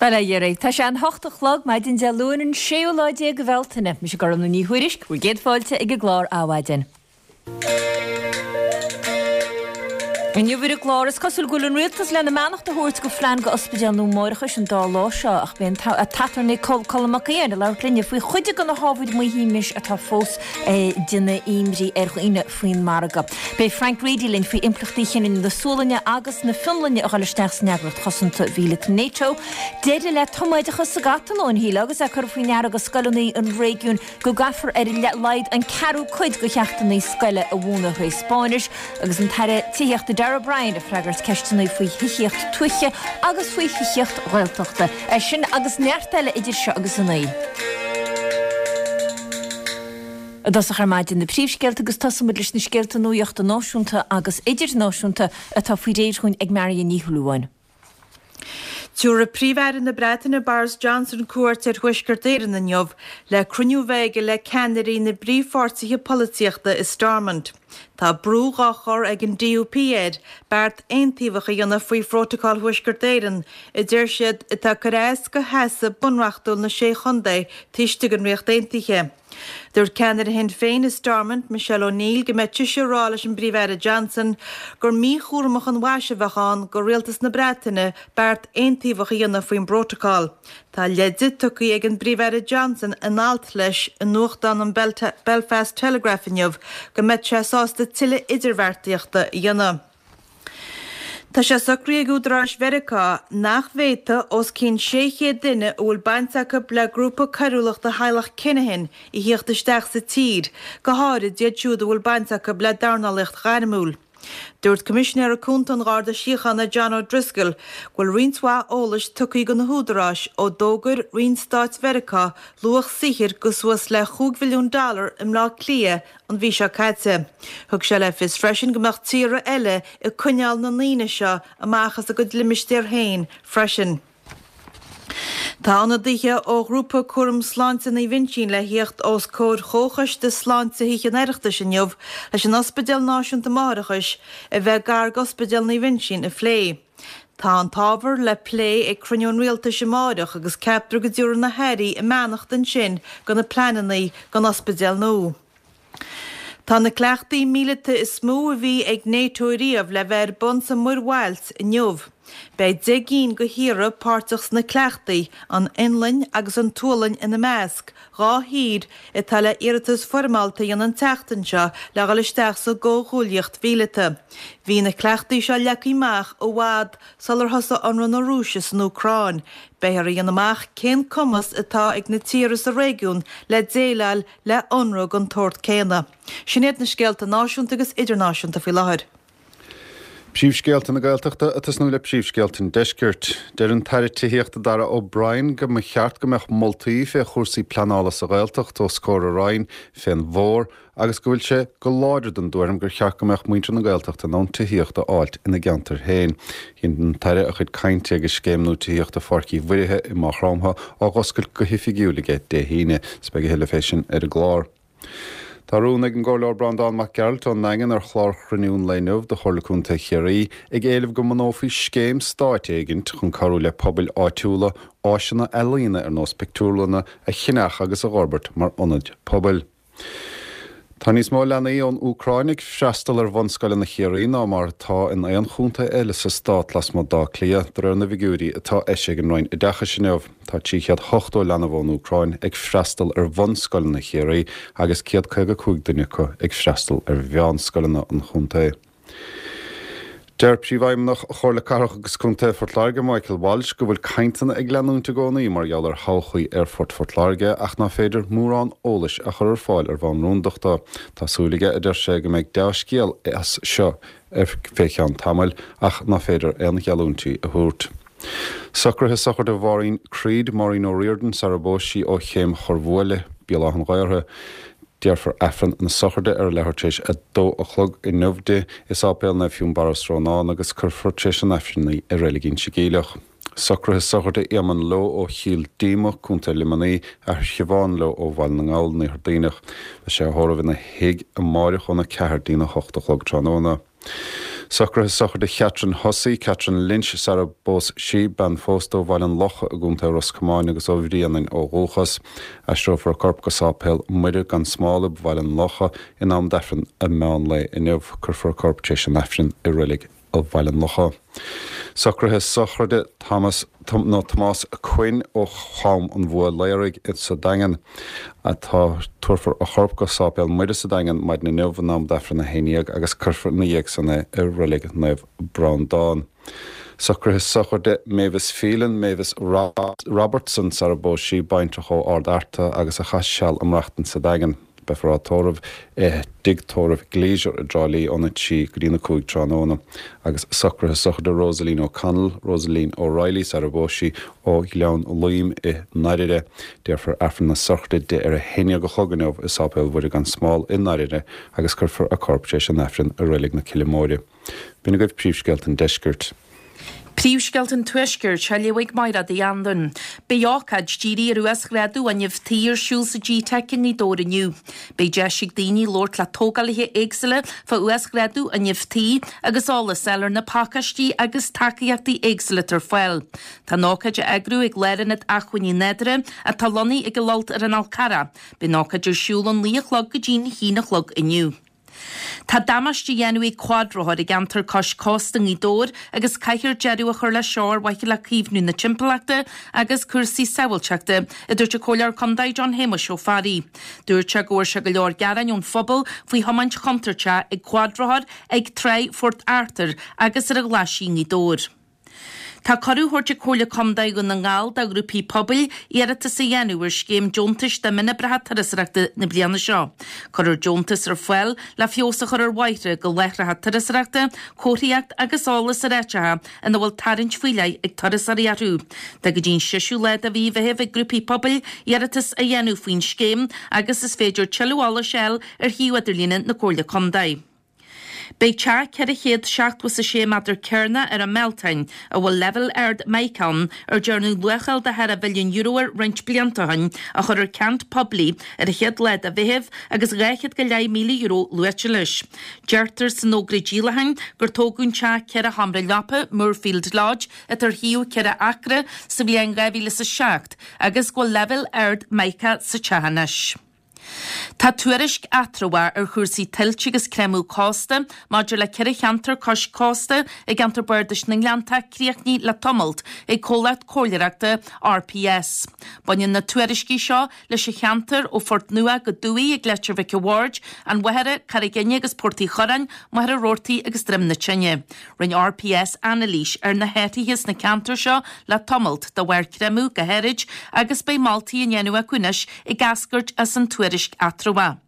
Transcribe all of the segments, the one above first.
Bhuel, a Dhéaraí, tá sé an hocht a chlog, maidin Dé Luain an séú lá déag de Bhealtaine. Mise Gormlaith Ní Thuairisg, bhur gcéad fáilte ag an gclár Adhmhaidin. Inniu ar an gclár, is cosúil go bhfuil an rialtas lena mbeannacht a thabhairt go phlean go ospidéal nua máithreachais an dá lá seo ach beidh an t-aturnae Colm Mac Aodháin ag labhairt linne faoi chuid de na hábhair maoithímis atá fós ag déanamh imní ar dhaoine faoin margadh. Beidh Frank Reidy linn faoi impleachtaí chinneadh na Sualainne agus na Fionlainne a dhul isteach san eagraíocht chosanta mhíleata NATO. Deireadh le tumoideachas sa gCatalóin, shílfeá, agus é curtha faoi ndeara go scoileanna an réigiúin go gcaithfear ar a laghad an ceathrú cuid de cheachtanna scoile a mhúineadh tré Spáinnis, agus an tAire Tithíochta Darragh O'Brien ag freagairt ceisteanna faoi thithíocht tuaithe agus faoi thithíocht Ghaeltachta. É sin agus neart eile idir seo agus a 9. I dtosach ar maidin na príomhscéalta agus tosóidh muid leis na scéalta nuachta náisiúnta agus idirnáisiúnta atá faoi réir dhúinn ag Marion Ní Shúilleabháin. Tabharfaidh Príomh-Aire na Breataine Boris Johnson cuairt ar Thuaisceart Éireann inniu le cruinniú a bheith aige le ceannairí na bpríomhpháirtithe polaitíochta i Stormont. Tá brú dhá chur ag an DUP air beart aontaobhach a dhéanamh faoi Phrótacal Thuaisceart Éireann, a deir siad, atá ag cur as go sheasamh bunreachtúil na Sé Chontae taobh istigh den Ríocht Aontaithe. Dúirt ceannaire Shinn Féin i Stormont, Michelle O'Neill, go mbeidh sise ag rá leis an bPríomh-Aire Johnson gur míchúramach an mhaise a bheadh ann go rialtas na Breataine beart aontaobhach a dhéanamh faoin bprótacal. Tá leide tugtha ag an bPríomh-Aire Johnson in alt leis i nuachtán an Belfast Telegraph inniu go mbeadh sé sásta tuilleadh idirbheartaíochta a dhéanamh. Tá sé socraithe ag údaráis Mheiriceá nach bhféadfaidh os cionn 600 duine a bhfuil baint acu le grúpa coiriúlachta theaghlach Kinahan a thíocht isteach sa tír, go háirid iad siúd a bhfuil baint acu le dornálaíocht ghairmiúil. Dúirt Coimisinéara Cúnta an Gharda Síochána John O'Driscoll go bhfuil roinnt mhaith eolais tugtha go na húdaráis ó d'fhógair Roinn Stáit Mheiriceá luach saothair go suas le chúig mhilliún dollar i mBleá Cliath an mhí seo caite. Thug sé le fios freisin go mbeadh tíortha eile ag coinneáil na ndaoine seo amach as a gcuid limistéar féin freisin. Tá ionadaithe ó Ghrúpa Cúram Sláinte Naomh Uinseann le thíocht os comhair Chomhchoiste Sláinte Thithe an Oireachtais inniu leis an Ospidéal Náisiúnta Máithreachais a bheith gar d'Ospidéal Naomh Uinseann a phlé. Tá an t-ábhar le plé ag cruinniú an Rialtais amáireach agus ceaptar go dtabharfaidh na hairí a mbeannacht ansin do na pleananna don ospidéal nua. Tá na cleachtaí míleata is mó a bhí ag Nato riamh le bheith ar bun sa Mhuir Bhailt inniu. Beidh 10 gcinn de thíortha páirteach sna cleachtaí, an Fhionlainn agus an tSualainn ina measc, dhá thír atá le iarratas foirmeálta a dhéanamh an tseachtain seo le dhul isteach sa gcomhghuaillíocht mhíleata. Bhí na cleachtaí seo leagtha amach i bhfad sular thosaigh ionradh na Rúise san Úcráin. Beifear a dhéanamh amach cén cumas atá ag na tíortha sa réigiún le déileáil le hionradh den tsórt céanna. Sin iad na scéalta náisiúnta agus idirnáisiúnta faoi láthair. Príomhscéalta na Gaeltachta ag tosnú le príomhscéalta an Deiscirt. Deir an tAire Tithíochta Darragh O'Brien go mba cheart go mbeadh moltaí fé chúrsaí pleanála sa Ghaeltacht os comhair a Roinn fén bhfómhar agus go bhfuil sé go láidir den dtuairim gur cheart go mbeadh muintir na Gaeltachta in ann tithíocht a fháilt ina gceantair féin. Dhein an tAire a chuid cainte agus Scéim Nua Tithíochta Pháirc Uí Mhuirithe i Maigh Chromtha á dh'oscailt go hoifigiúil aige Dé hAoine. Is beidh a thuilleadh fé sin ar an gclár. Tá rún ag an gComhairleoir Breandán Mac Gearailt ón nDaingean ar chlár chruinniú an lae inniu de Chomhairle Contae Chiarraí ag éileamh go mbunófaí scéim stáit éigint chun cabhrú le pobail áitiúla áiseanna ealaíona ar nós pictiúrlanna a cheannach agus a dh'fhorbairt mar ionaid pobail. Tá níos mó leanaí ón Úcráin ag freastal ar bhunscoileanna Chiarraí ná mar atá in aon chontae eile sa stát lasmuigh d'Áth Cliath, de réir na bhfigiúirí atá eisithe ag an Roinn Oideachais inniu. Tá 380 leanbh ón Úcráin ag freastal ar bhunscoileanna Chiarraí agus 155 duine acu ag freastal ar mheánscoileanna an chontae. Deir Príomhfheidhmeannach Chomhairle Cathrach agus Contae Phort Láirge, Michael Walsh, go bhfuil cainteanna ag leanúint i gcónaí mar gheall ar thodhchaí Aerfort Phort Láirge ach ná féidir mórán eolais a chur ar fáil ar bhonn rúndachta. Tá súil aige, a deir sé, go mbeidh dea-scéal as seo fé cheann tamaill ach ná féidir aon gheallúintí a thabhairt. Socruithe sochraide Mháirín Creed, Maureen O'Riordan, sara bpós sí ó Chéim Chorrbhuaile, Béal Átha an Ghaorthaidh. Déarfar Aifreann na sochraide ar a leathuair tar éis a dó a chlog inniu di i Sáipéal Naomh Fionnbarra, Srónán agus cuirfear tar éis an Aifrinn í i Reilig Inse Geimhleach. Socruithe sochraide Éamonn Lowe ó Chill Díoma, Co. Luimnigh, athair Shiobhán Lowe ó Bhaile na nGall, an Iarthar Duibhneach. Beidh sé á thórramh ina thigh amáireach óna 4 dtína 8 a chlog tráthnóna. Socruithe sochraide Chatherine Hussey, Catherine Lynch, sara bpós sí, bean phósta ó Bhaile an Locha i gContae Ros Comáin agus ó Bhrianainn ó dhúchas. Aistreofar a corp go Sáipéal Muire gan Smál i Bhaile an Locha in am d'Aifreann a meán lae inniu. Cuirfear a corp tar éis an Aifrinn i Reilig Bhaile an Locha. Socruithe sochraide Thomas, nó Tomás Quinn ó Chom an Bhua Laoraigh sa Daingean. Atá, tabharfar a chorp go Sáipéal Muire sa Daingean maidin inniu in am d'Aifreann a 11 agus cuirfear ina dhiaidh san é i Reilig Naomh Breandán. Socruithe sochraide Mavis Phelan, Mavis Robertson sara bpós sí, baintreach ó Ard Fhearta agus a chaith seal ag maireachtaint sa Daingean. Beifear á tórramh i dTigh Tórraimh Gleisure i dTrá Lí óna 3 go dtína 5 tráthnóna. Agus socruithe sochraide Rosaleen O'Connell, Rosaleen O'Reilly sara bpós sí, ó Ghleann Loim i nDairire. Déarfar Aifreann na sochraide di ar a haon déag a chlog inniu i Sáipéal Mhuire gan Smál i nDairire agus cuirfear a corp tar éis an Aifrinn i Reilig na Cille Móire. B'in agaibh príomhscéalta an deiscirt. Príomhscéalta an Tuaiscirt á léamh ag Mairéad Uí Anluain. Beidh ócáid dírithe ar uasghrádú fhuinneamh tí ar siúl sa GTeic i nGaoth Dobhair inniu. Beidh deis ag daoine labhairt le tógálaithe éagsúla fá uasghrádú fhuinneamh tí agus eolas a fháil ar na pacáistí agus tacaíochtaí éagsúla atá ar fáil. Tá an ócáid á eagrú ag Lárionad Acmhainní Nádúrtha atá lonnaithe ag an Fhlolt ar an Fhál Carrach. Beidh an ócáid ar siúl ón naoi a chlog go dtí'n haon a chlog inniu. Tá damáiste á dhéanamh ag cuadrothair i gceantar cois cósta i nGaoth Dobhair agus caithfear deireadh a chur leis seo ar mhaithe le caomhnú na timpeallachta agus cúrsaí sábháilteachta, a dúirt an Comhairleoir Contae John Shéamuis Ó Fearraigh. Dúirt sé go bhfuair sé go leor gearáin ón phobal faoi thiomáint chontúirteach ag cuadrothair ag Tráigh Phort Arthur agus ar an Ghlaisigh i ngaoth Dobhair. Tá cuireadh á thabhairt ag Comhairle Contae Dhún na nGall do ghrúpaí pobail iarratas a dhéanamh ar scéim deontais do mhionoibreacha turasóireachta na bliana seo. Cuirfear deontas ar fáil le feabhas a chur ar bhóithre go láithreacha turasóireachta, comharthaíocht agus eolas ar áiteacha ina bhfuil tarraingt faoi leith ag turasóirí orthu. Tá go dtí an seisiú lá de mhí Mheithimh ag grúpaí pobail iarratas a dhéanamh faoin scéim agus is féidir tuilleadh eolais a fháil ar shuíomh idirlíne na Comhairle Contae. Beidh teach 476 méadar cearnach ar an mBealtaine, a bhfuil leibhéal ard mica ann, ar dearnadh luacháil de thar a mhilliún euro air roinnt blianta ó shin, á chur ar ceant poiblí ar an chéad lá de Mheitheamh agus €200,000 luaite leis. Deirtear san fhógra díolacháin gur tógadh an teach ceithre sheomra leapa, Moorefield Lodge, atá ar shuíomh ceithre acra, sa bhliain 2007 agus go bhfuil leibhéal ard mica sa teach anois. Tá tuairisc eatramhach ar chúrsaí tuilte agus creimeadh cósta maidir le ceithre cheantar cois cósta i gceantar Bardais na nGleanntach críochnaithe le tamalt ag comhlacht comhairleoireachta RPS. Baineann na tuairiscí seo leis an cheantar ó Phort Nua go Dumhaigh ag Leitir Mhic a' Bhaird, An Mhachaire, Carraig Fhinne agus Port Uí Churráin, Machaire Rabhartaigh agus Droim na Tine. Rinne RPS anailís ar na hathruithe sna ceantair seo le tamalt, de bharr creimeadh go háirid, agus beidh moltaí á ndéanamh acu anois ag eascairt as an tuairisc eatramhach.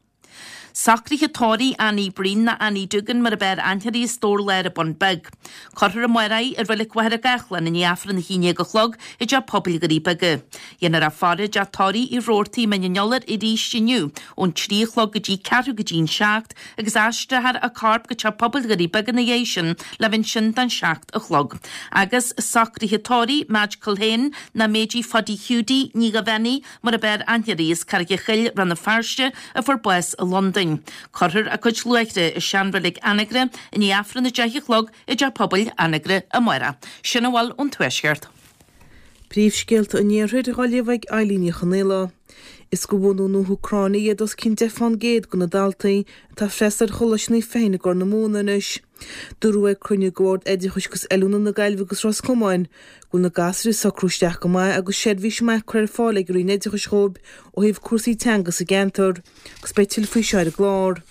Socruithe tórraimh Annie Breen nó Annie Doogan mar ab fhearr aithne uirthi as Dobhar Láir an Bun Beag. Cuirfear amárach í i Reilig Mhachaire Gathlán i ndiaidh Aifreann 11 a chlog i dTeach Pobail Dhoirí Beaga. Dhéanfar í a faire i dteach tórraimh Uí Rabhartaigh i Mín an Iolair arís inniu ón 3 a chlog go dtí ceathrú go dtí an 7 agus aistreofar a corp go Teach Pobail Dhoirí Beaga ina dhiaidh sin le bheith ansin don 7 a chlog. Agus socruithe tórraimh Madge Culhane nó Méidí Phaidí Hiúdaí Ní Dhaibhéanaigh mar ab fhearr aithne uirthi as Carraig a' Chill, Rann na Feirste, a fuair bás i Londain. Cuirfear a cuid luaithre i seanreilig Anagaire i ndiaidh Aifreann 10 a chlog i dTeach Pobail Anagaire amárach. Sin a bhfuil ón Tuaisceart. Príomhscéalta an Iarthair á léamh ag Eilín Ní Chonaola. Is de bhunadh na hÚcráine iad os cionn 10 fán gcéad de na daltaí atá ag freastal ar Choláiste Naomh Feichin i gCorr na Móna anois. Dúradh ag cruinniú de Bhord Oideachais agus Oiliúna na Gaillimhe agus Ros Comáin go bhfuil na gasúir ag socrú isteach go maith agus seirbhís maith curtha ar fáil ag an Roinn Oideachais dhóibh ó thaobh cúrsaí teanga sa gceantar agus beidh tuilleadh faoi seo ar an gclár.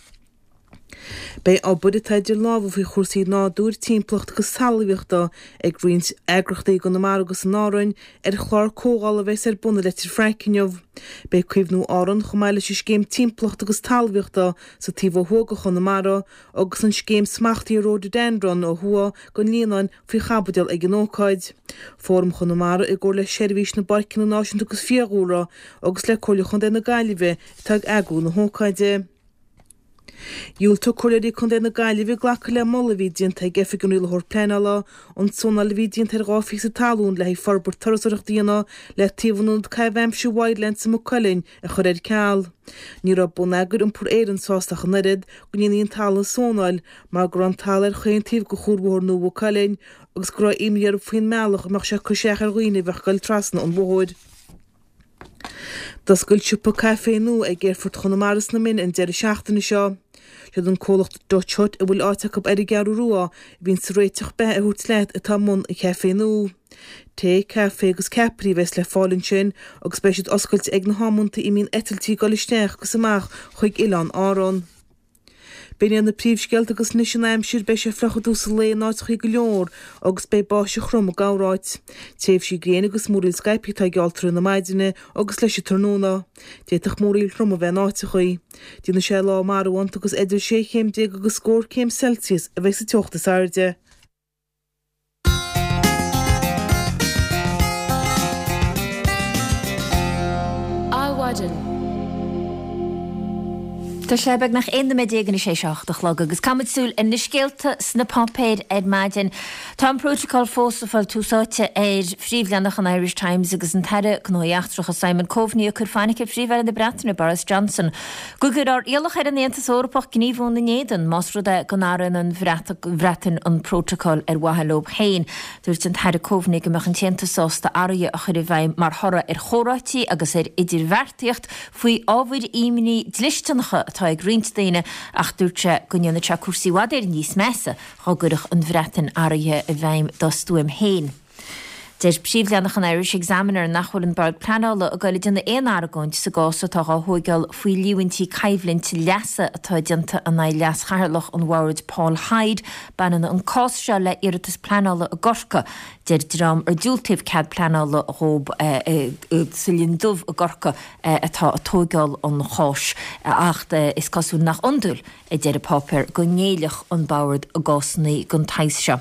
Beidh obair atá idir lámha faoi chúrsaí nádúir, timpeallachta agus talmhaíochta ag roinnt eagraíochtaí i gConamara agus in Árainn ar chlár comhdhála a bheas ar bun i Leitir Fraic inniu. Beidh Caomhnú Árann chomh maith leis an Scéim Timpeallachta agus Talmhaíochta sa taobh ó thuaidh de Chonamara agus an Scéim Smachtaithe Rhododendron ó thuaidh den Líonán faoi chaibidil ag an ócáid. Fóram Chonamara i gcomhar le Seirbhís na bPáirceanna Náisiúnta agus Fiadhúlra agus le Comhairle Chontae na Gaillimhe atá ag eagrú na hócáide. Dhiúltaigh Comhairleoirí Contae na Gaillimhe glacadh le moladh a bhí déanta ag Oifig an Rialaitheoir Pleanála an tsónáil a bhí déanta ar 2 phíosa talún le haghaidh forbairt turasóireachta a dhéanamh le taobh an ionad caitheamh aimsire Wildlands i Maigh Cuilinn a chur ar ceal. Ní raibh Bonneagar Iompair Éireann sásta ach an oiread go ndéanfaí an talamh a sónáil mar go raibh an talamh ar chaon taobh de chuarbhóthar nua Mhaigh Cuilinn agus go raibh imní orthu faoin mbealach a mbeadh sé ag cur isteach ar dhaoine a bheadh ag dul trasna an bhóthair. D'oscail siopa caife nua ag Aerfort Chonamara sna Mine an deireadh seachtaine seo. Siad an comhlacht Dutch Hut a bhfuil áit acu ar an gCeathrú Rua a bhíonn ag réiteach beatha a thabhairt leat atá i mbun an chaife nua. Tae, caife agus ceapairí a bheas le fáil ansin agus beidh siad oscailte ag na hamanta a mbíonn eitiltí ag dul isteach agus amach chuig Oileáin Árann. B'in iad na príomhscéalta agus anois an aimsir, beidh sé fliuch i dtús an lae in áiteachaí go leor agus beidh báisteach throm i gcorráit. Tréimhsí gréine agus múraíl scaipthe atá geallta i rith na maidine agus leis an tráthnóna. D'fhéadfadh múraíl throm a bheith in áiteachaí. Déanfaidh sé lá marbhánta agus idir sé chéim déag agus scór céim Celsius a bheidh sa teocht is airde. Adhmhaidin. Tá sé beagnach 11 nóiméad anois théis a hocht a chlog agus caithfimid súil ar na scéalta sna páipéir ar maidin. Tá an Prótacal fós ag fáil tús áite ar phríomhleathanach an Irish Times agus an tAire Gnóthaí Eachtracha Simon Coveney ag cur fainic ar Phríomh-Aire na Breataine Boris Johnson go gcuirfear iallach ar an Aontas Eorpach gníomhú ina n-éadan más rud é go n-athraíonn an Bhreatain an prótacal ar mhaithe leo féin. Dúirt an tAire Coveney go mbeadh an tAontas sásta athruithe a chur i bhfeidhm mar thoradh ar chomhráití agus ar idirbheartaíocht faoi ábhair imní dlisteanacha atá ag roinnt daoine ach dúirt sé go ndéanfadh sé cúrsaí i bhfad Éireann níos measa dá gcuirfeadh an Bhreatain athruithe i bhfeidhm dá stuaim féin. Deir príomhleathanach an Irish Examiner nach bhfuil an Bord Pleanála ag goil ag déanamh aon argóint sa gcás atá dhá thóigeáil faoi líomhaintí coimhlint leasa atá déanta in aghaidh leas-chathaoirleach an bhoird Paul Hyde. Baineann an cás seo le iarratas pleanála i gCorcaigh. Deir dream ar diúltaíodh cead pleanála dhób sa Linn Dubh i gCorcaigh atá ag tóigeáil an cháis ach is cosúil nach iondúil, a deir an páipéar, go ngéillfeadh an Bord i gcásanna den tsaghas seo.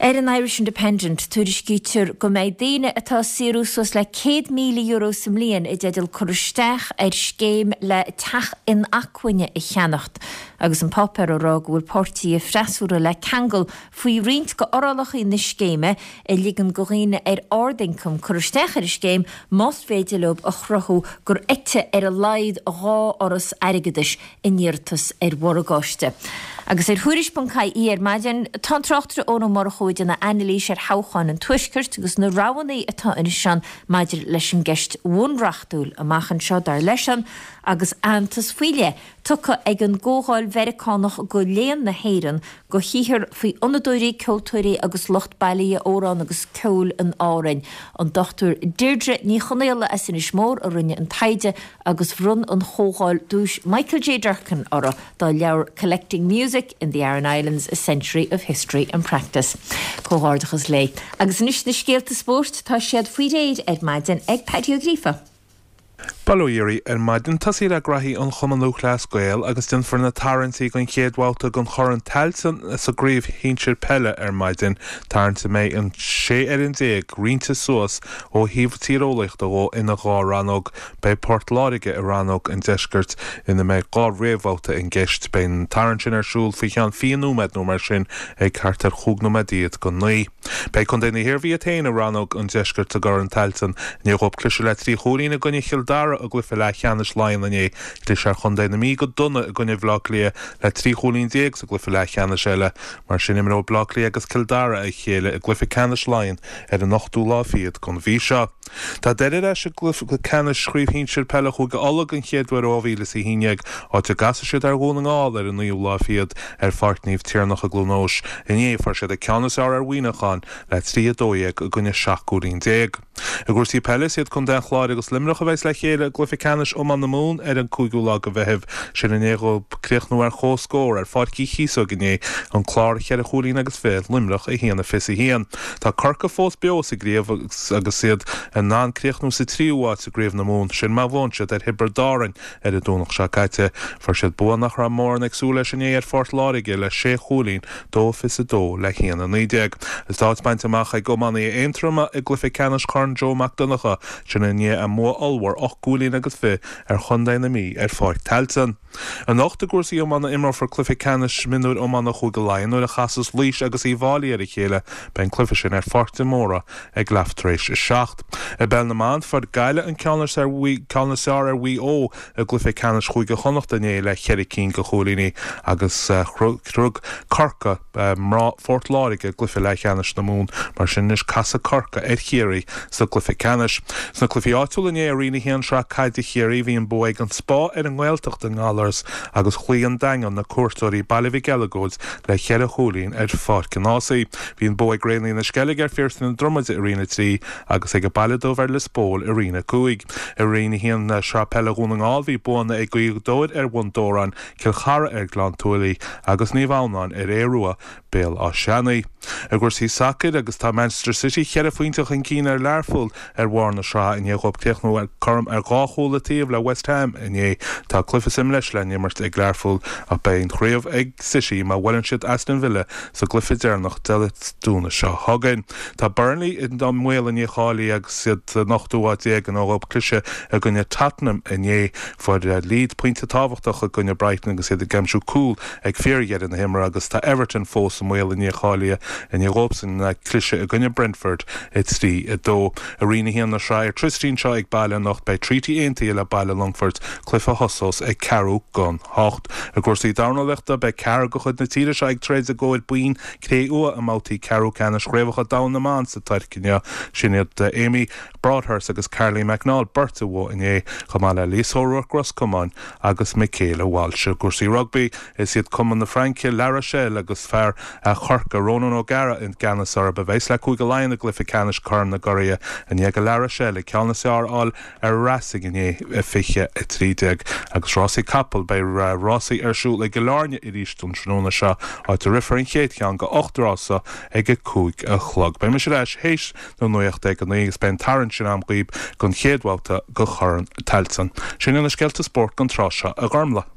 Ar an Irish Independent, tuairiscítear go mbeidh daoine atá ag saothrú suas le €100,000 sa mbliain i dteideal cur isteach ar scéim le teach inacmhainne a cheannacht agus an páipéar á rá go bhfuil páirtithe freasúra le ceangal faoi roinnt de fhorálacha na scéime a ligeann do dhaoine ar ard-ioncam cur isteach ar an scéim más féidir leo a chruthú gur eiteadh ar a laghad 2 fhoras airgeadais a n-iarratas ar mhorgáiste. Agus ar Thuairisc.ie ar maidin, tá an tráchtaire Eoin Ó Murchú ag déanamh anailís ar thoghcháin an Tuaiscirt agus na roghanna atá anois ann maidir leis an gceist bhunreachtúil amach anseo, dar leisean, agus aitheantas faoi leith tugtha ag an gComhdháil Mheiriceánach do Léann na hÉireann do shaothar faoi fhonnadóirí, ceoltóirí agus lucht bailithe amhrán agus ceoil in Árainn. An Dr Deirdre Ní Chonaola as Inis Mór a rinne an taighde agus bhronn an Chomhdháil duais Michael J. Durkan uirthi dá leabhar Collecting Music in the Aran Islands, A Century of History and Practice. Comhghairdeachas léi. Agus anois na scéalta spóirt, tá siad faoi réir ar maidin ag Paddy Ó Gríofa. Bail ó Dhia oraibh ar maidin. Tosaí le graithí an Chumann Lúthchleas Gael agus déanfar na tarraingtí don chéad bhabhta den Chorn Tailteann sa gCraobh Shinsir Peile ar maidin, tarraingt a mbeidh an 16 fhoireann roinnte suas ó thaobh tíreolaíochta dhó ina dhá rannóg. Beidh Port Láirge i rannóg an Deiscirt ina mbeidh 2 réamhbhabhta i gceist. Beidh an tarraingt sin ar siúl faoi cheann 20 nóiméad nó mar sin ag thart ar chúig nóiméad fhichead go naoi. Beidh Contae na hIarmhí iad féin i rannóg an Deiscirt i gCorn Tailteann. I ndiaidh dhóibh cliseadh le 3 chúilín i gcoinne Chill Dara i gcluiche leathcheannais Laighean inné, chlis ar chontae na Mí go dona i gcoinne Bhaile Átha Cliath le 13 chúilín sa gcluiche leathcheannais eile. Mar sin imreoidh Baile Átha Cliath agus Cill Dara a chéile i gcluiche ceannais Laighean ar an ochtú lá fichead den mhí seo. Tá Doire ar ais i gcluiche ceannais Chraobh Shinsir Peile Chúige Uladh den chéad uair ó 2011, áit a gcasfaidh siad ar Dhún na nGall ar an naoú lá fichead ar Pháirc Naomh Tiarnach i gCluain Eois. Inné, fuair siad an ceann is fearr ar Mhuineachán le 3, 12 i gcoinne 17 gcúilín. I gcúrsaí peile, is iad Contae an Chláir agus Luimneach a bheas le chéile i gcluiche ceannais iomána na Mumhan ar an 5ú lá de Mheitheamh. Sin i ndiaidh dhóibh críochnú ar comhscór ar Pháirc Uí Chíosóg inné, An Clár cheithre chúilín agus fiche, Luimneach 1, 21. Tá Corcaigh fós beo sa gcraobh agus iad in ann críochnú sa tríú háit i gCraobh na Mumhan, sin má bhuann siad ar Thiobraid Árann ar an Domhnach seo caite. Fuair siad bua nach raibh mórán ag súil leis inné ar Phort Láirge le sé chúilín, 2, 22 le 1, 19. Agus tá áit bainte amach ag iománaithe Aontroma i gcluiche ceannais Chorn Joe Mac Donncha, sin i ndiaidh a mbua ollmhór 18 gcúilín. chúilín agus 20 ar chontae na Mí ar Pháirc Tailteann. Anocht i gcúrsaí iomána imreofar cluiche ceannais mionúir iomána Chúige Laighean nuair a chasas Laois agus Uíbh Fhailí ar a chéile. Beidh an cluiche sin ar Pháirc de Mórdha ag leath tar éis a 7. I bPeil na mBan, fuair Gaillimh an ceann is fearr ar Mhaigh Eo i gcluiche ceannais Chúige Chonnacht inné le cheithre cinn de chúilíní agus shroich Corcaigh mná Phort Láirge i gcluiche leathcheannais na Mumhan. Mar sin anois casfaidh Corcaigh ar Chiarraí sa gcluiche ceannais. Sna cluichí áitiúla inné i Roinn 1 Sraith Caide Chiarraí bhí an bua ag an Spá ar an nGaeltacht i nGallaras agus chloígh an Daingean na cuairteoirí Baile Mhic Eileagóid le cheithre chúilín ar Pháirc an Ághasaigh. Bhí an bua ag Raonaithe na Sceilge ar Phiarsaigh na Dromaide i Roinn 3 agus ag an Baile Dubh ar Lios Póil i Roinn 5. I Roinn 1 Sraith Peile Dhún na nGall bhí buanna ag Gaoth Dobhair ar Bhun Dobhráin, Cill Chartha ar Ghleann tSúilí agus Naomh Adhamhnáin ar Aodh Rua, Béal Átha Seanaidh. I gcúrsaí sacair agus tá Manchester City cheithre phointe chun cinn ar Learpholl ar bharr na sraithe i ndiaidh dhóibh críochnú ar cothrom ar dhá chúl an taobh le West Ham inné. Tá cluiche sa mbreis le n-imirt ag Learpholl ach beidh an chraobh ag City má bhuaileann siad Aston Villa sa gcluiche deireanach Dé Domhnaigh seo chugainn. Tá Burnley i mbaol an dícháilithe agus iad san ochtú háit déag i ndiaidh dhóibh cliseadh i gcoinne Tottenham inné. Fuair Leeds pointe tábhachtach i gcoinne Brighton agus iad ag aimsiú cúl ag fíordheireadh na himeartha agus tá Everton fós i mbaol an dícháilithe i ndiaidh dhóibhsan cliseadh i gcoinne Brentford 3, 2. I Roinn 1 na Sraithe Airtricity anseo ag baile anocht beidh Treaty Aontaithe le Baile Longfoirt, cluiche a thosós ag ceathrú gon hocht. I gcúrsaí dornálaíochta beidh ceathrar de chuid na tíre seo ag troid i gcomhair boinn cré-umha i mbabhtaí ceathrú ceannais Chraobhacha Domhanda na mBan sa Tuirc inniu. Sin iad Amy Broadhurst agus Caroline McNall, beirt a bhuaigh inné, chomh maith le Lisa O'Rourke Ros Comáin agus Michaela Walsh. I gcúrsaí rugbaí, is iad Cumann na Fraince, La Rochelle agus fear Chorcaí, Ronan O'Gara i gceannas orthu, a bheas le Cúige Laighean i gcluiche ceannais Chorn na gCuradh i ndiaidh do La Rochelle an ceann is fearr a fháil ar Racing inné, 20:13. Agus rásaí capall, beidh rásaí ar siúl i gCill Airne arís an tráthnóna seo, áit a rithfear an chéad cheann de 8 rása ag a 5 a chlog. Beidh mise ar ais théis na nuachta ag a 9 agus beidh an tarraingt sin a'm dhaoib don chéad bhabhta de Chorn Tailteann. Sin iad na scéalta spóirt don tráth seo, a Ghormlaith.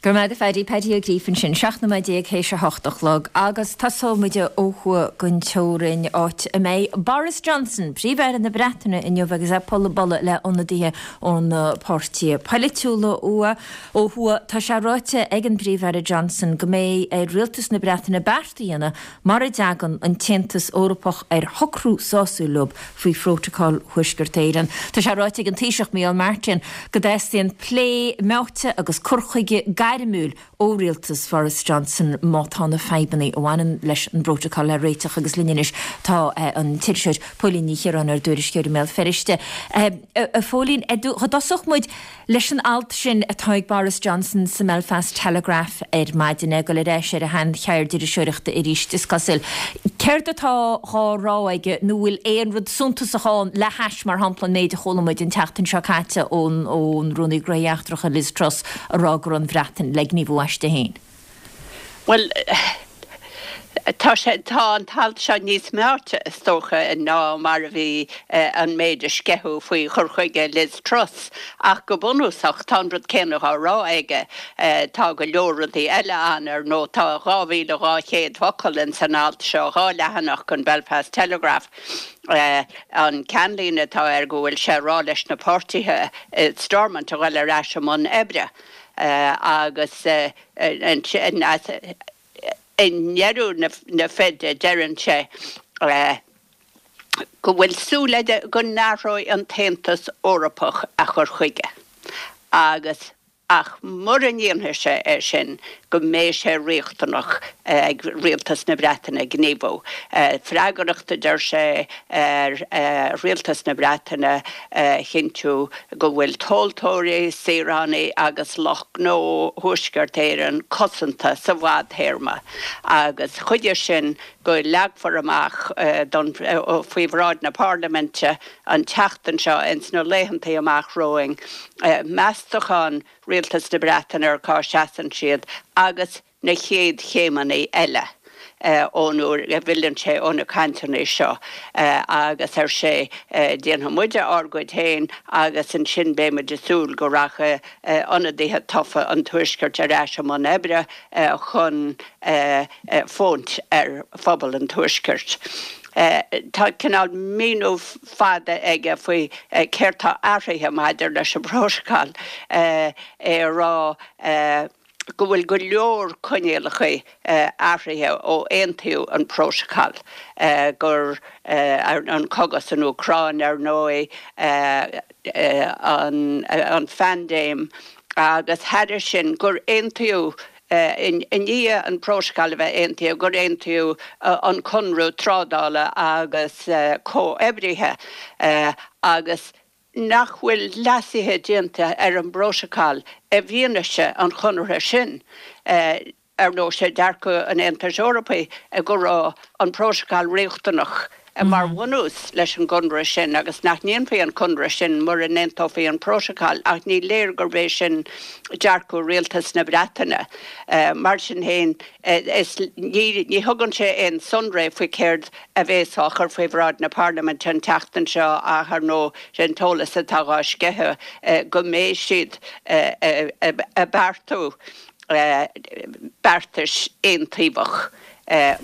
Go raibh maith agat a Phaddy, Paddy Ó Gríofa ansin, 17 nóiméad théis a hocht a chlog agus tosóidh muid ó thuaidh den teorainn, áit a mbeidh Boris Johnson, Príomh-Aire na Breataine inniu agus é ag bualadh le ionadaithe ó na páirtithe polaitiúla ó thuaidh. Tá sé ráite ag an bPríomh-Aire Johnson go mbeidh ar Rialtas na Breataine beart a dhéanamh mura dtagann an tAontas Eorpach ar shocrú sásúil leo faoi Phrótacal Thuaisceart Éireann. Tá sé ráite ag an Taoiseach Micheál Martin go dteastaíonn plé meáite agus cur chuige gairmiúil ó rialtas Bhoris Johnson má tá na fadhbanna a bhaineann leis an bprótacal le réiteach agus linn anois tá an t-iriseoir Póilín Ní Chiaráin, ár dtuairisceoir i mBéal Feirste. A Phóilín, dá dtosódh muid Leis an alt sin atá ag Boris Johnson sa mBelfast Telegraph ar maidin, é ag dul ar ais ar a shean-cheird iriseoireachta arís, is cosúil. Céard atá dhá rá aige nó bhfuil aon rud suntasach ann le hais, mar shampla, an méid a chuala muid an tseachtain seo caite ón Rúnaí Gnóthaí Eachtracha Liz Truss a rá go raibh an Bhreatain le gníomhú aisti féin? Bhuel, tá sé, tá an t-alt seo níos meáite, is dócha, ná mar a bhí an méid a sceitheadh faoi chur chuige Liz Truss, ach go bunúsach tá an rud céanna á rá aige. Tá go leor rudaí eile ann, ar ndóigh. Tá 2,200 focal ins an alt seo, dhá leathanach den Belfast Telegraph. An ceannlíne atá air go bhfuil sé ag rá leis na páirtithe i Stormont a dhul ar ais i mbun oibre agus, Ansin, i ndeireadh na feide, deireann sé go bhfuil súil aige go n-athróidh an tAontas Eorpach a chur chuige agus, ach mura ndéanfaidh sé é sin, go mbeidh sé riachtanach ag Rialtas na Breataine gníomhú. Freagracht, a deir sé, ar Rialtas na Breataine a chinntiú go bhfuil tomhaltóirí, saoránaigh agus lucht gnó Thuaisceart Éireann cosanta sa bhfadthéarma agus chuige sin go leagfar amach don faoi bhráid na Parlaiminte an tseachtain seo, ins na laethantaí amach romhainn, meastachán Rialtas na Breataine ar cá seasann siad agus na chéad chéimeanna eile ón uair a bhfilleann sé ó na cainteanna seo agus, ar sé, déanfaidh muide ár gcuid féin agus ansin beidh muid ag súil go rachaidh ionadaithe tofa an Tuaiscirt ar ais i mbun oibre chun fóint ar phobal an Tuaiscirt. Tá cineál míniú fada aige faoi céard tá athraithe maidir leis an bprótacal, é a rá go bhfuil go leor coinníollacha athraithe ó aontaíodh an prótacal, gur an cogadh san Úcráin ar ndóigh, an phaindéim agus thairis sin gur aontaíodh i ndiaidh an prótacal a bheith aontaithe gur aontaíodh an conradh trádála agus comhoibrithe agus nach bhfuil leasuithe déanta ar an bprótacal i bhfianaise an chonartha sin. Ar ndóigh, sé dearcadh an Aontais Eorpaigh go raibh an prótacal riachtanach mar bhunús leis an gconradh sin agus nach ndéanfaí an conradh sin mura n-aontófaí an prótacal, ach ní léir gurb é sin dearcadh rialtas na Breataine. Mar sin féin, ní thugann sé aon sonraí faoi céard a bhéas á chur faoi bhráid na Parlaiminte an tseachtain seo ach, ar ndóigh, sé an t-eolas atá dhá sceitheadh go mbeidh siad ag beartú beartais aontaobhach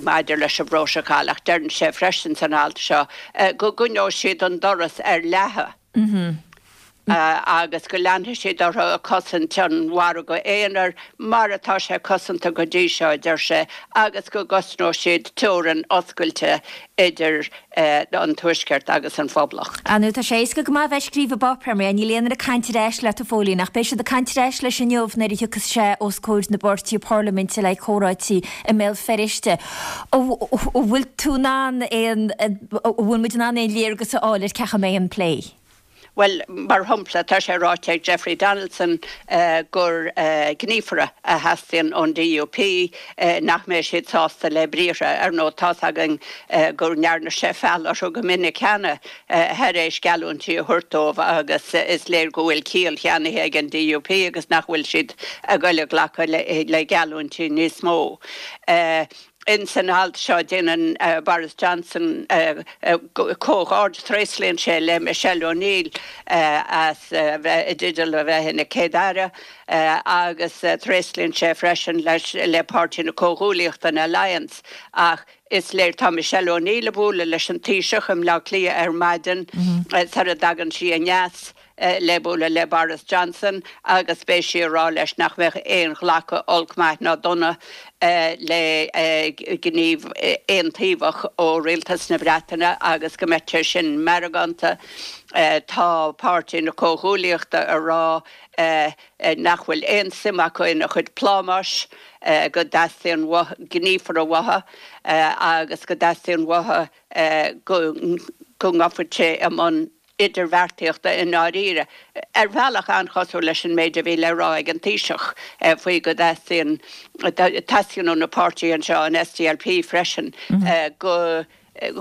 maidir leis an bprótacal ach deireann sé freisin san alt seo go gcoinneoidh siad an doras ar leathadh agus go leanfaidh siad orthu ag cosaint an mhargaidh aonair mar atá sé cosanta go dtí seo, a deir sé, agus go gcosnóidh siad teorainn oscailte idir an Tuaisceart agus an Phoblacht. Ar ndóigh, tá sé éasca go maith a bheith ag scríobh i bpáipéar, mar níl aon duine ag caint ar ais leat, a Phóilín, ach beidh siad ag caint ar ais leis inniu nuair a thiocfas sé os comhair na bpáirtithe parlaiminte le comhráití i mBéal Feirste. An bhfuil tú in ann aon, an bhfuil muid in ann aon léargas a fháil ar cén chaoi a mbeidh an plé? Bhuel, mar shampla, tá sé ráite ag Jeffrey Donaldson gur gníomhartha a theastaíonn ón DUP, nach mbeidh siad sásta le briathra. Ar ndóigh, tá's againn go ndearna sé feall orthu go minic cheana thar éis geallúintí a thabhairt dóibh agus is léir go bhfuil ciall cheannaithe ag an DUP agus nach bhfuil siad ag goil a ghlacadh le geallúintí níos mó. Ins an alt seo déanann Boris Johnson comhghairdeas, tréaslaíonn sé le Michelle O'Neill as bheith i dteideal a bheith ina Céad-Aire agus tréaslaíonn sé freisin le Páirtí na Comhghuaillíochta, an Alliance. Ach is léir, tá Michelle O'Neill ag bualadh leis an Taoiseach i mBleá Cliath ar maidin sara dtagann sí aneas. le bualadh le Boris Johnson agus beidh sí ag rá leis nach mbeadh aon ghlacadh olc, maith ná dona le gníomh aontaobhach ó rialtas na Breataine agus go mbeadh sé sin meargánta. Tá Páirtí na Comhghuaillíochta ag rá nach bhfuil aon suim acu ina chuid plámáis, go dteastaíonn uathu gníomhartha uathu agus go dteastaíonn uathu go ngabhfadh sé i mbun idirbheartaíochta i ndáiríre, ar bhealach an-chosúil leis an méid a bhí le rá ag an Taoiseach faoi go dteastaíonn, teastaíonn ó na páirtithe anseo, an SDLP freisin, go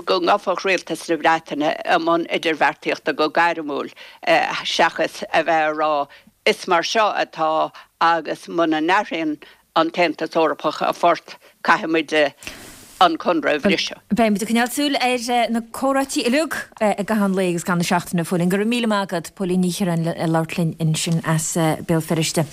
go ngabhfadh rialtas na Breataine i mbun idirbheartaíochta go gairmiúil seachas a bheith ag rá is mar seo atá agus muna n-athraíonn an tAontas Eorpach a phort, caithfidh muid an conradh a bhriseadh. Beidh muid ag coinneáil súil ar na comhráití uilig i gcaitheamh an lae agus i gcaitheamh na seachtaine, a Phóilín. Go raibh míle maith agat, Póilín Ní Chiaráin ag labhairt linn ansin as Béal Feirste.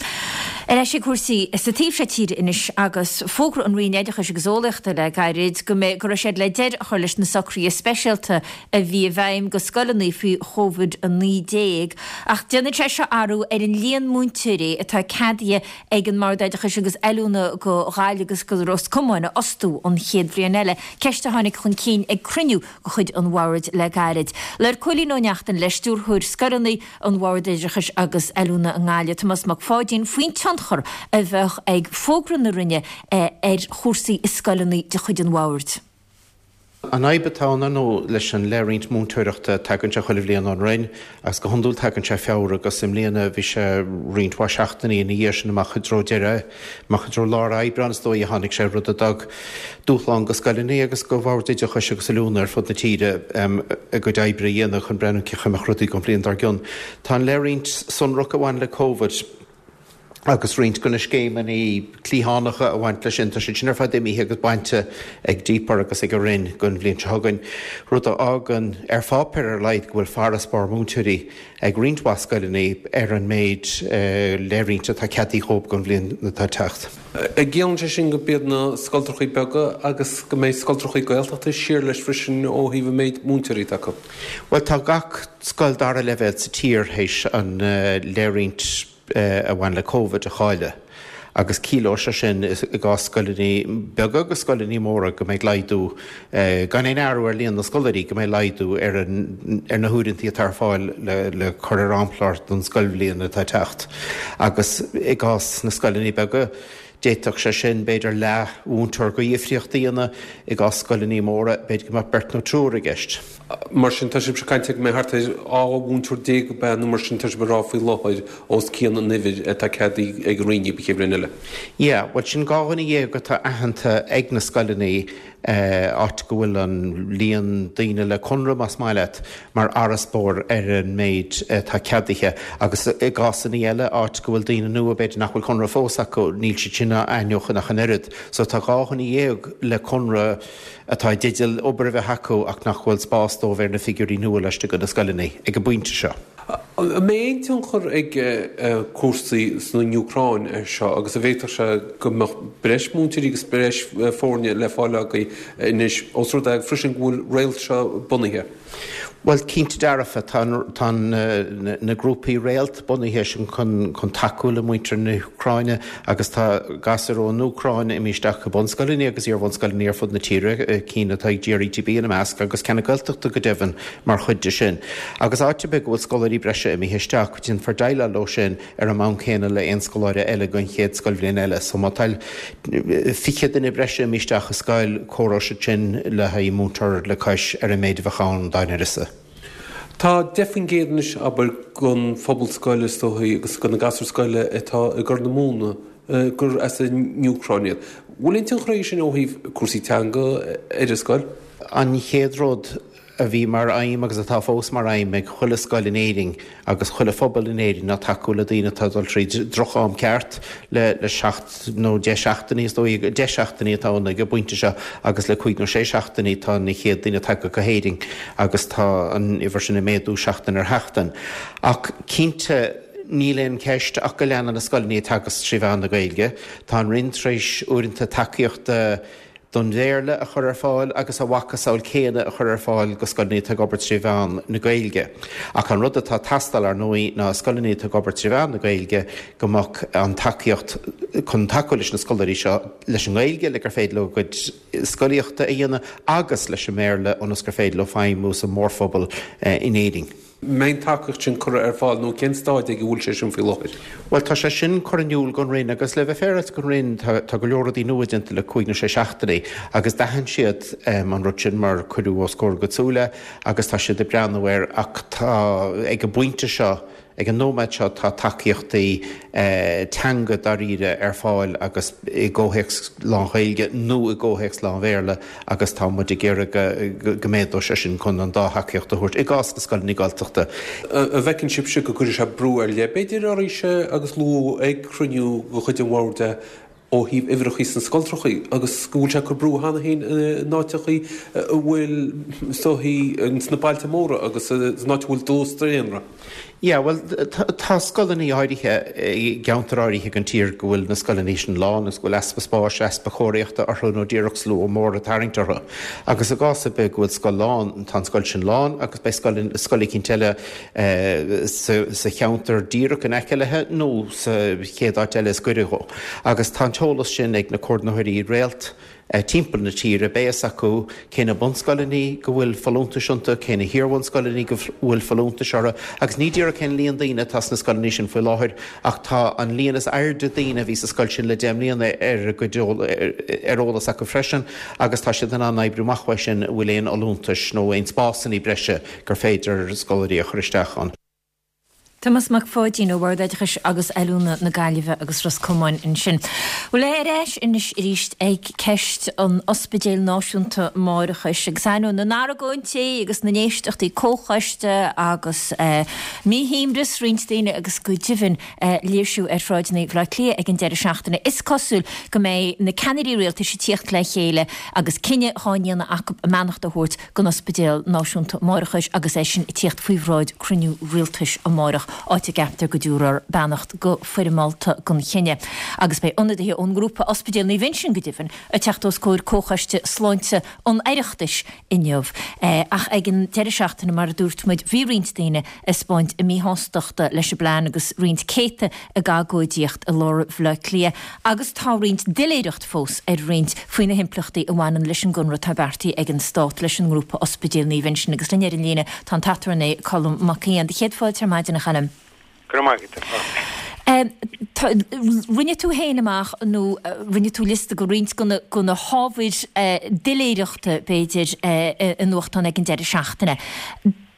Ar ais ag cúrsaí sa taobh seo tíre anois agus fógra ón Roinn Oideachais agus Eolaíochta le gairid go mbeidh go raibh siad le deireadh a chur leis na socruithe speisialta a bhí i bhfeidhm go scoileanna faoi Covid-19 ach déanann sé seo athrú ar an líon múinteoirí atá ceadaithe ag an mBord Oideachais agus Oiliúna go Gaillimh agus go Ros Comáin a fhostú an chéad bhliain eile, ceist a tháinig chun cinn ag cruinniú de chuid an Bhoird le gairid. Labhair Cóilín Ó Neachtain le Stiúrthóir Scoileanna an Bhoird Oideachais agus Oiliúna i nGaillimh, Tomás Mac Pháidín, faoin tionchar a bheadh ag fógra na Roinne ar chúrsaí i scoileanna de chuid an Bhoird. An fhadhb atá ann, ar ndóigh, leis an leithroinnt múinteoireachta, tagann sé chuile bhliain ón Roinn agus go hiondúil tagann sé Feabhra agus i mbliana bhí sé roinnt mhaith seachtainí ina dhiaidh sin amach i dtreo deireadh, amach i dtreo lár Aibreáin is dóigh a tháinig sé, rud a d'fhág dúshlán go scoileanna agus go Bhoird Oideachais agus Oiliúna ar fud na tíre a gcuid oibre a dhéanamh chun breathnú cén chaoi a mbeadh rudaí don bhliain dár gcionn. Tá an leithroinnt sonrach a bhain le Covid. Agus roinnt de na scéimeanna cliathánacha a bhain leis sin, tá siad sin ar fad imithe agus bainte ag DPER agus ag an Roinn don bhliain seo chugainn, rud a fhágann, ar pháipéar ar a laghad, go bhfuil farasbarr múinteoirí ag roinnt mhaith scoileanna ar an méid leithroinnte atá ceadaithe dhóibh don bhliain atá ag teacht. An gciallaíonn sé sin go b'iad na scoltrachaí beaga agus go mbeidh scoltrachaí Gaeltachta siar leis freisin ó thaobh an méid múinteoirí atá acu? Bhuel, tá gach scoil dara leibhéal sa tír théis an leithroinnt a bhain le Covid a chailleadh agus ciallóidh sé sin i gcás scoileanna beaga agus scoileanna móra go mbeidh laghdú, gan aon athrú ar líon na scoláirí, go mbeidh laghdú ar ar na huaireanta atá ar fáil le cur ar amchlár don scoilbhliain atá ag teacht. Agus i gcás na scoileanna beaga, D'fhéadfadh sé sin, b'fhéidir, leath-mhúinteoir de dhifríocht a dhéanamh. I gcás scoileanna móra, b'fhéidir go mbeadh beirt nó triúr i gceist. Mar sin, tá sibhse ag caint go mbeidh thart ar 12 mhúinteoir ab ea nó mar sin tá sibh ag rá faoi láthair os cionn an uimhir atá ceadaithe ag an Roinn an chéad bhliain eile. Yeah, bhuel sin 12 dhuine atá aitheanta ag na scoileanna áit go bhfuil an líon daoine le conradh, más maith leat, mar fharasbarr ar an méid atá ceadaithe agus i gcásanna eile, áit go bhfuil daoine nua, b'fhéidir nach bhfuil conradh fós acu, níl siad sin á aithneachan ach an oiread. So tá 12 dhuine le conradh atá i dteideal obair a bheith acu ach nach bhfuil spás dóibh ar na figiúirí nua laistigh de na scoileanna ag an bpointe seo. An mbeidh aon tionchar ag cúrsaí san Úcráin air seo agus an bhféadfadh sé go mbeadh breis múinteoirí agus breis foirne le fáil agaibh anois os rud é freisin go bhfuil Réalt seo bunaithe? Bhuel, cinnte dearfa, tá tá na grúpaí Réalt bunaithe sin chun chun tacú le muintir na hÚcráine agus tá gasúir ón Úcráin imithe isteach i bunscoileanna agus iar-bhunscoileanna ar fud na tíre, cinn atá ag GRETB ina measc agus ceann na Gaeltachta go deimhin mar chuid de sin. Agus áit ar bith go bhfuil scoláirí breise imithe isteach, déanfar déileáil leo sin ar an mbonn céanna le aon scoláire eile don chéad scoilbhliain eile. So má tá 20 duine breise imithe isteach i scoil, comhaireoidh siad sin le haghaidh múinteoir le cois ar an méid a bheadh ann dá n-uireasa. Tá 10% anois, abair, den phobal scoile is dóichí agus de na gasúir scoile atá i gCorr na Móna gur as an Úcráin iad. Bhfuil aon tionchar aige sin ó thaobh cúrsaí teanga ar an scoil? An chéad rud, a bhí mar aidhm agus atá fós mar aidhm ag chuile scoil in Éirinn agus chuile phobal in Éirinn ná tacú le daoine atá ag dul tríd droch-am ceart le le seacht nó deich seachtainí is dóigh, deich seachtainí atá ann ag an bpointe seo agus le cúig nó sé seachtainí tá na chéad daoine tagtha go hÉirinn agus tá an uimhir sin ag méadú seachtain ar sheachtain. Ach cinnte níl aon cheist ach go leanann na scoileanna ag teagasc trí mheán na Gaeilge. Tá an Roinn tar éis uaireanta tacaíochta don Bhéarla a chur ar fáil agus a mhacasamhail céanna a chur ar fáil go scoileanna atá ag obair tré mheán na Gaeilge. Ach an rud atá ag teastáil, ar ndóigh, ná scoileanna atá ag obair tré mheán na Gaeilge go mbeadh an tacaíocht chun tacú leis na scoláirí seo leis an nGaeilge le gur féidir leo a gcuid scolaíochta a dhéanamh agus leis an mBéarla ionas gur féidir leo feidhmiú sa mórphobal in Éirinn. mbeidh an tacaíocht sin curtha ar fáil nó cén stáid ag a bhfuil sé sin faoi láthair? Bhuel, tá sé sin curtha in iúl don Roinn agus le bheith féaráilte don Roinn, tá tá go leor rudaí nua déanta le cúig nó sé seachtainí agus d'aithin siad an rud sin mar cuireadh os comhair a gcuid súile agus tá siad ag breathnú air ach tá ag an bpointe seo, ag an nóiméad seo tá tacaíochtaí teanga dáiríre ar fáil agus i gcomhthéacs lán-Ghaeilge nó i gcomhthéacs lán-Bhéarla agus tá muid ag iarraidh go méadódh sé sin chun an dá thacaíocht a thabhairt i gcás na scoileanna Gaeltachta. An bhfeiceann sibhse go gcuirfidh sé brú ar leith, b'fhéidir, oraibhse agus luadh ag cruinniú de chuid an bhoird é ó thaobh uimhreachaí sna scoltrachaí agus go bhfuil sé ag cur brú cheana féin in áiteachaí a bhfuil, is dóichí, sna bailte móra agus san áit a bhfuil dlús daonra? Yeah, bhuel, tá scoileanna áirithe i gceantair áirithe den tír go bhfuil na scoileanna sin lán agus go bhfuil easpa spáis, easpa cóiríochta orthu nó díreach slua mór ag tarraingt orthu. Agus i gcás ar bith go bhfuil scoil lán, tá an scoil sin lán agus beidh scoil, scoil eicínt eile sa cheantar díreach in aice léi nó sa chéad áit eile is gaire dhó. Agus tá an t-eolas sin ag na comhordaitheoirí Réalt timpeall na tíre, beidh fhios acu cé na bunscoileanna go bhfuil folúntais iontu, cé na hiarbhunscoileanna go bhfuil folúntais orthu, agus ní díreach cén líon daoine atá sna scoileanna sin faoi láthair, ach tá an líon is airde daoine a bhí sa scoil sin le 10 mbliana ar a gcuid ar eolas acu freisin, agus tá siad in ann oibriú amach uaidh sin an bhfuil aon fholúntais nó aon spásanna breise gur féidir scoláirí a chur isteach ann. Tomás Mac Pháidín ó Bhord Oideachais agus Oiliúna na Gaillimhe agus Ros Comáin ansin. Bhuel, ar ais anois arís ag ceist an Ospidéil Náisiúnta Máithreachais agus ainneoin na n-argóintí agus na n-éisteachtaí comhchoiste agus míshuaimhneas roinnt daoine agus go deimhin léirsiú ar shráideanna Bhaile Átha Cliath ag an deireadh seachtaine, is cosúil go mbeidh na ceannairí rialtais ag tíocht le chéile agus cinneadh dhá ndéanamh acu a mbeannacht a thabhairt don Ospidéal Náisiúnta Máithreachais agus é sin ag tíocht faoi bhráid cruinniú rialtais amárach, áit a gceaptar go dtabharfar beannacht go foirmeálta don chinneadh. Agus beidh ionadaithe ón ngrúpa Ospidéal Naomh Uinseann go deimhin ag teacht os comhair Comhchoiste Sláinte an Oireachtais inniu. Ach ag an deireadh seachtaine, mar a dúirt muid, bhí roinnt daoine ag 'spáint a míshástachta leis an bplean agus roinnt céadta ag agóidíocht i lár Bhaile Átha Cliath agus tá roinnt doiléireacht fós ar roinnt faoi na himpleachtaí a bhaineann leis an gconradh atá beartaithe ag an Stát leis an ngrúpa Ospidéal Naomh Uinseann agus linn ar an líne tá an t-aturnae Colm Mac Aodha. Céad fáilte ar maidin a Choilm. Go raibh maith agat, a Chormaic. Rinne tú féin amach nó rinne tú liosta de roinnt de na hábhair doiléireachta, b'fhéidir, i nuachtáin ag an deireadh seachtaine.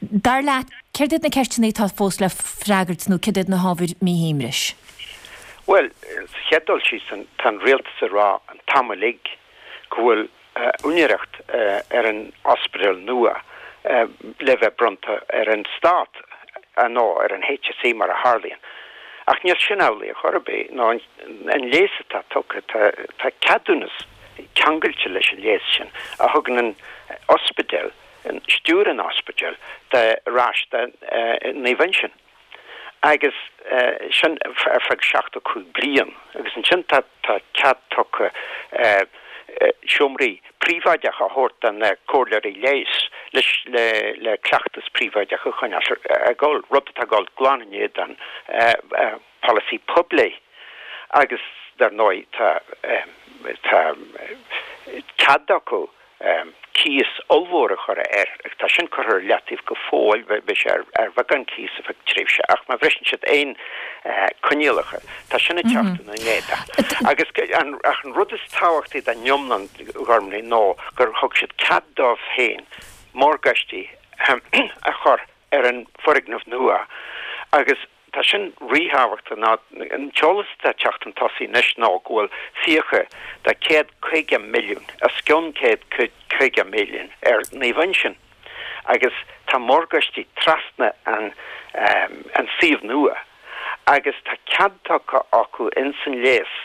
Dar leat, céard iad na ceisteanna atá fós le freagairt nó céard iad na hábhair míshuaimhnis? Bhuel, sa chéad dul síos, tá an rialtas ag rá an t-am uilig go bhfuil úinéireacht ar an ospidéal nua le bheith bronnta ar an stát, nó ar an HSE mar a tharlaíonn. Ach níl sin amhlaidh ar chor ar bith, nó an léas atá tugtha, tá ceadúnas ceangailte leis an léas sin a thugann an ospidéal, stiúir an ospidéil ar ais do Naomh Uinseann agus sin ar feadh 75 bliain agus ansin tá cead tugtha seomraí príobháideacha a thabhairt do na comhairleoirí leighis le cleachtas príobháideach a choinneáil ag dul, rud atá ag dul glan in éadan polasaí poiblí agus dar ndóigh tá tá cead acu cíos ollmhór a chur air agus tá sin curtha ar leataobh go fóill, beidh sé ar bheagán cíos ar feadh tréimhse ach má bhriseann siad aon coinníollacha tá sin ag teacht ina n-éadan. Agus ach an rud is tábhachtaí den iomlán Ghormlaith ná gur thug siad cead dóibh féin morgáistí a chur ar an bhfoirgneamh nua agus tá sin ríthábhachtach ná an t-eolas atá ag teacht chun tosaigh anois ná go bhfuil fiacha de 150 milliún, os cionn 150 milliún ar Naomh Uinseann agus tá morgáistí trasna an an suíomh nua agus tá cead tugtha acu ins an léas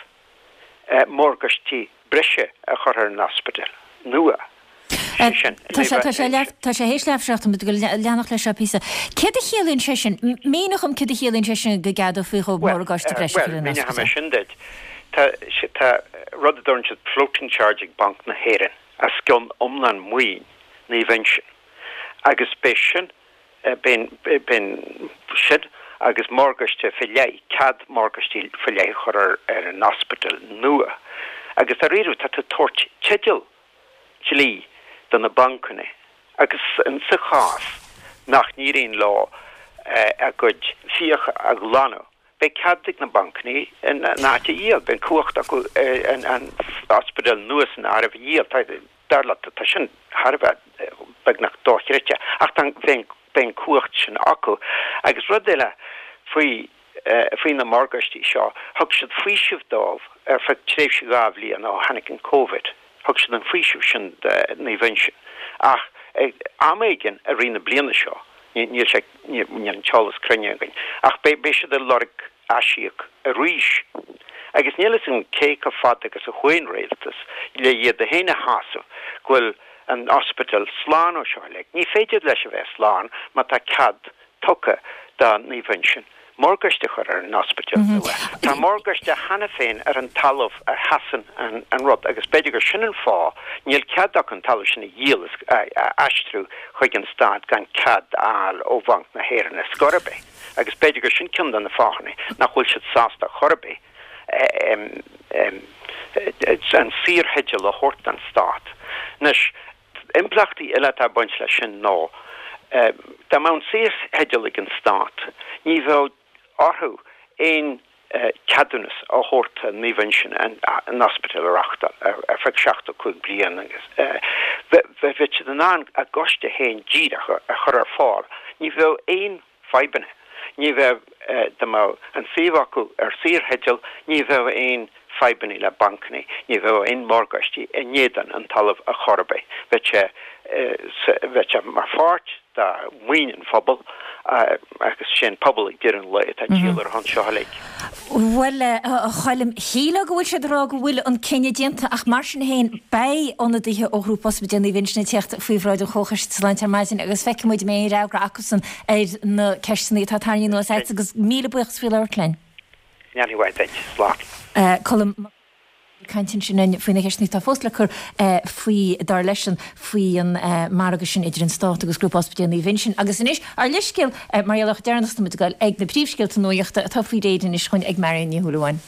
morgáistí breise a chur ar an ospidéal nua. Sé sin, Tá sé, tá sé leath, tá sé théis leath a 7, tá muid ag dul leanacht leis seo píosa. Céard a chiallaíonn sé sin? Mínigh dhom céard a chiallaíonn sé sin go gceadófaí dhóibh morgáiste breise a chur ar an ospidéal. Bhuel, míneoidh mé sin duit. Tá, tá rud a dtugann siad floating charge ag Banc na hÉireann os cionn iomlán maoin Naomh Uinseann agus beidh sin, B'in sin agus morgáiste fé leith, cead morgáistí fé leith a chur ar an ospidéal nua. Agus dáiríre tá tú ag tabhairt teideal dlí do na bancanna agus sa chás nach n-éiríonn leo a gcuid fiacha a ghlanadh, beidh cead ag na bancanna an áit a dhíol, beidh an cumhacht acu an ospidéal nua san áireamh a dhíol. Dar leat, tá sin thar a bheith beagnach dochreidte, ach tá, beidh an cumhacht sin acu. Agus rud eile faoi, faoi na morgáistí seo, thug siad faoiseamh dóibh ar feadh tréimhse 2 bhliain ó tháinig an Covid, thug siad an faoiseamh sin do Naomh Uinseann. Ach ag am éigin i rith na bliana seo, níl sé, níl an t-eolas cruinn againn, ach beidh, beidh siad ag lorg aisíoc arís. Agus níl fhios agam cé chomh fada agus a chuaigh an rialtas le iad féin a shásamh go bhfuil an ospidéal slán ó seo i leith. Ní féidir leis a bheith slán má tá cead tugtha do Naomh Uinseann morgáiste a chur ar an ospidéal nua. Tá morgáiste cheana féin ar an talamh a sheasann an rud agus b'fhéidir gur sin an fáth níl cead acu an talamh sin a dhíol is a aistriú chuig an stát gan cead a fháil ó Bhanc na hÉireann ar scor ar bith. Agus b'fhéidir gur sin ceann de na fáthanna nach bhfuil siad sásta chor ar bith an saortheideal a thabhairt don stát. Anois, impleachtaí eile atá ag baint leis sin ná, dá mbeadh an saortheideal ag an stát, ní bheadh orthu aon ceadúnas a thabhairt do Naomh Uinseann an ospidéal a reáchtáil ar feadh 75 bliain agus bheadh siad in ann a gcoiste féin díreach a chur ar fáil. Ní bheadh aon fadhbanna. Ní bheadh, dá mbeadh an suíomh acu ar saortheideal, ní bheadh aon fadhbanna le bancanna, ní bheadh aon morgáistí in éadan an talamh ar chor ar bith. Bheadh sé, bheadh sé mar pháirt de mhaoin an phobail agus sé an pobal ag deireadh an lae atá ag díol ar a shon seo uilig. Bhuel, a Choilm, shílfeá go bhfuil siad ag rá go bhfuil an cinneadh déanta ach mar sin féin beidh ionadaithe ó Ghrúpa Ospidéal Naomh Uinseann ag teacht faoi bhráid an Chomhchoiste Sláinte ar maidin agus feicfidh muid an mbeidh aon fhreagra acusan ar na ceisteanna atá tarraingthe anuas agat agus míle buíochas faoi labhairt linn. Go ndéana Dia duit. Slán. Colm Mac ag caint ansin faoi na ceisteanna atá fós le cur faoi, dar leisean, faoi an margadh sin idir an Stát agus Grúpa Ospidéal Naomh Uinseann. Agus anois, ár leithscéal mar gheall ar chomh deireanach is atá muid ag dul ag na príomhscéalta nuachta atá faoi réir anois chugainn ag Marion Ní Shúilleabháin.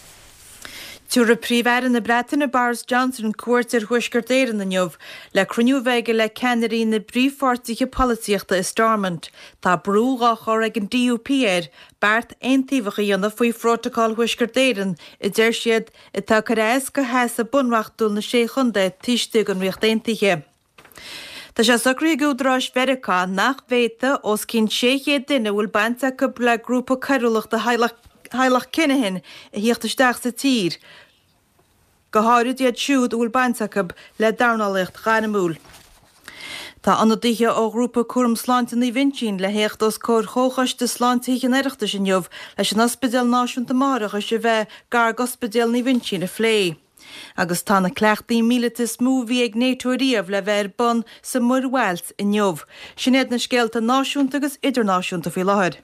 Tabharfaidh Príomh-Aire na Breataine Boris Johnson cuairt ar Thuaisceart Éireann inniu le cruinniú a bheith aige le ceannairí na bpríomhpháirtithe polaitíochta i Stormont. Tá brú dhá chur ag an DUP air beart aontaobhach a dhéanamh faoi Phrótacal Thuaisceart Éireann, a deir siad, atá ag cur as do sheasamh bunreachtúil na Sé Chontae taobh istigh den Ríocht Aontaithe. Tá sé socraithe ag údaráis Mheiriceá nach bhféadfaidh os cionn 600 duine a bhfuil baint acu le grúpa coiriúlachta theaghlach Kinahan a thíocht isteach sa tír, go háirid iad siúd a bhfuil baint acu le dornálaíocht ghairmiúil. Tá ionadaithe ó Ghrúpa Cúram Sláinte Naomh Uinseann le théacht os comhair Chomhchoiste Sláinte Thithe an Oireachtais inniu leis an Ospidéal Náisiúnta Máithreachais a bheith gar d'Ospidéal Naomh Uinseann a phlé. Agus tá na cleachtaí míleata is mó a bhí ag NATO riamh le bheith ar bun sa Mhuir Bhailt inniu. Sin iad na scéalta náisiúnta agus idirnáisiúnta faoi láthair.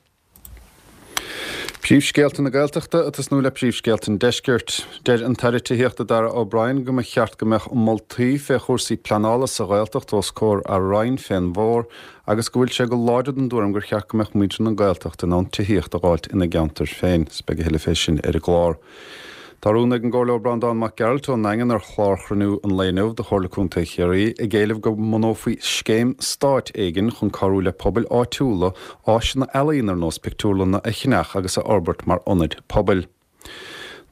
Príomhscéalta na Gaeltachta ag tosnú le príomhscéalta an Deiscirt. Deir an tAire Tithíochta Darragh O'Brien go mba cheart go mbeadh moltaí fé chúrsaí pleanála sa Ghaeltacht os comhair a Roinn fén bhfómhar agus go bhfuil sé go láidir den dtuairim gur cheart go mbeadh muintir na Gaeltachta in ann tithíocht a dh'fháilt ina gceantair féin. Is beidh a thuilleadh fé sin ar an gclár. Tá rún ag an gComhairleoir Breandán Mac Gearailt ón nDaingean ar chlár chruinniú an lae inniu de Chomhairle Contae Chiarraí ag éileamh go mbunófaí scéim stáit éigin chun cabhrú le pobail áitiúla áiseanna ealaíon ar nós pictiúrlanna a cheannach agus a fhorbairt mar ionaid pobail.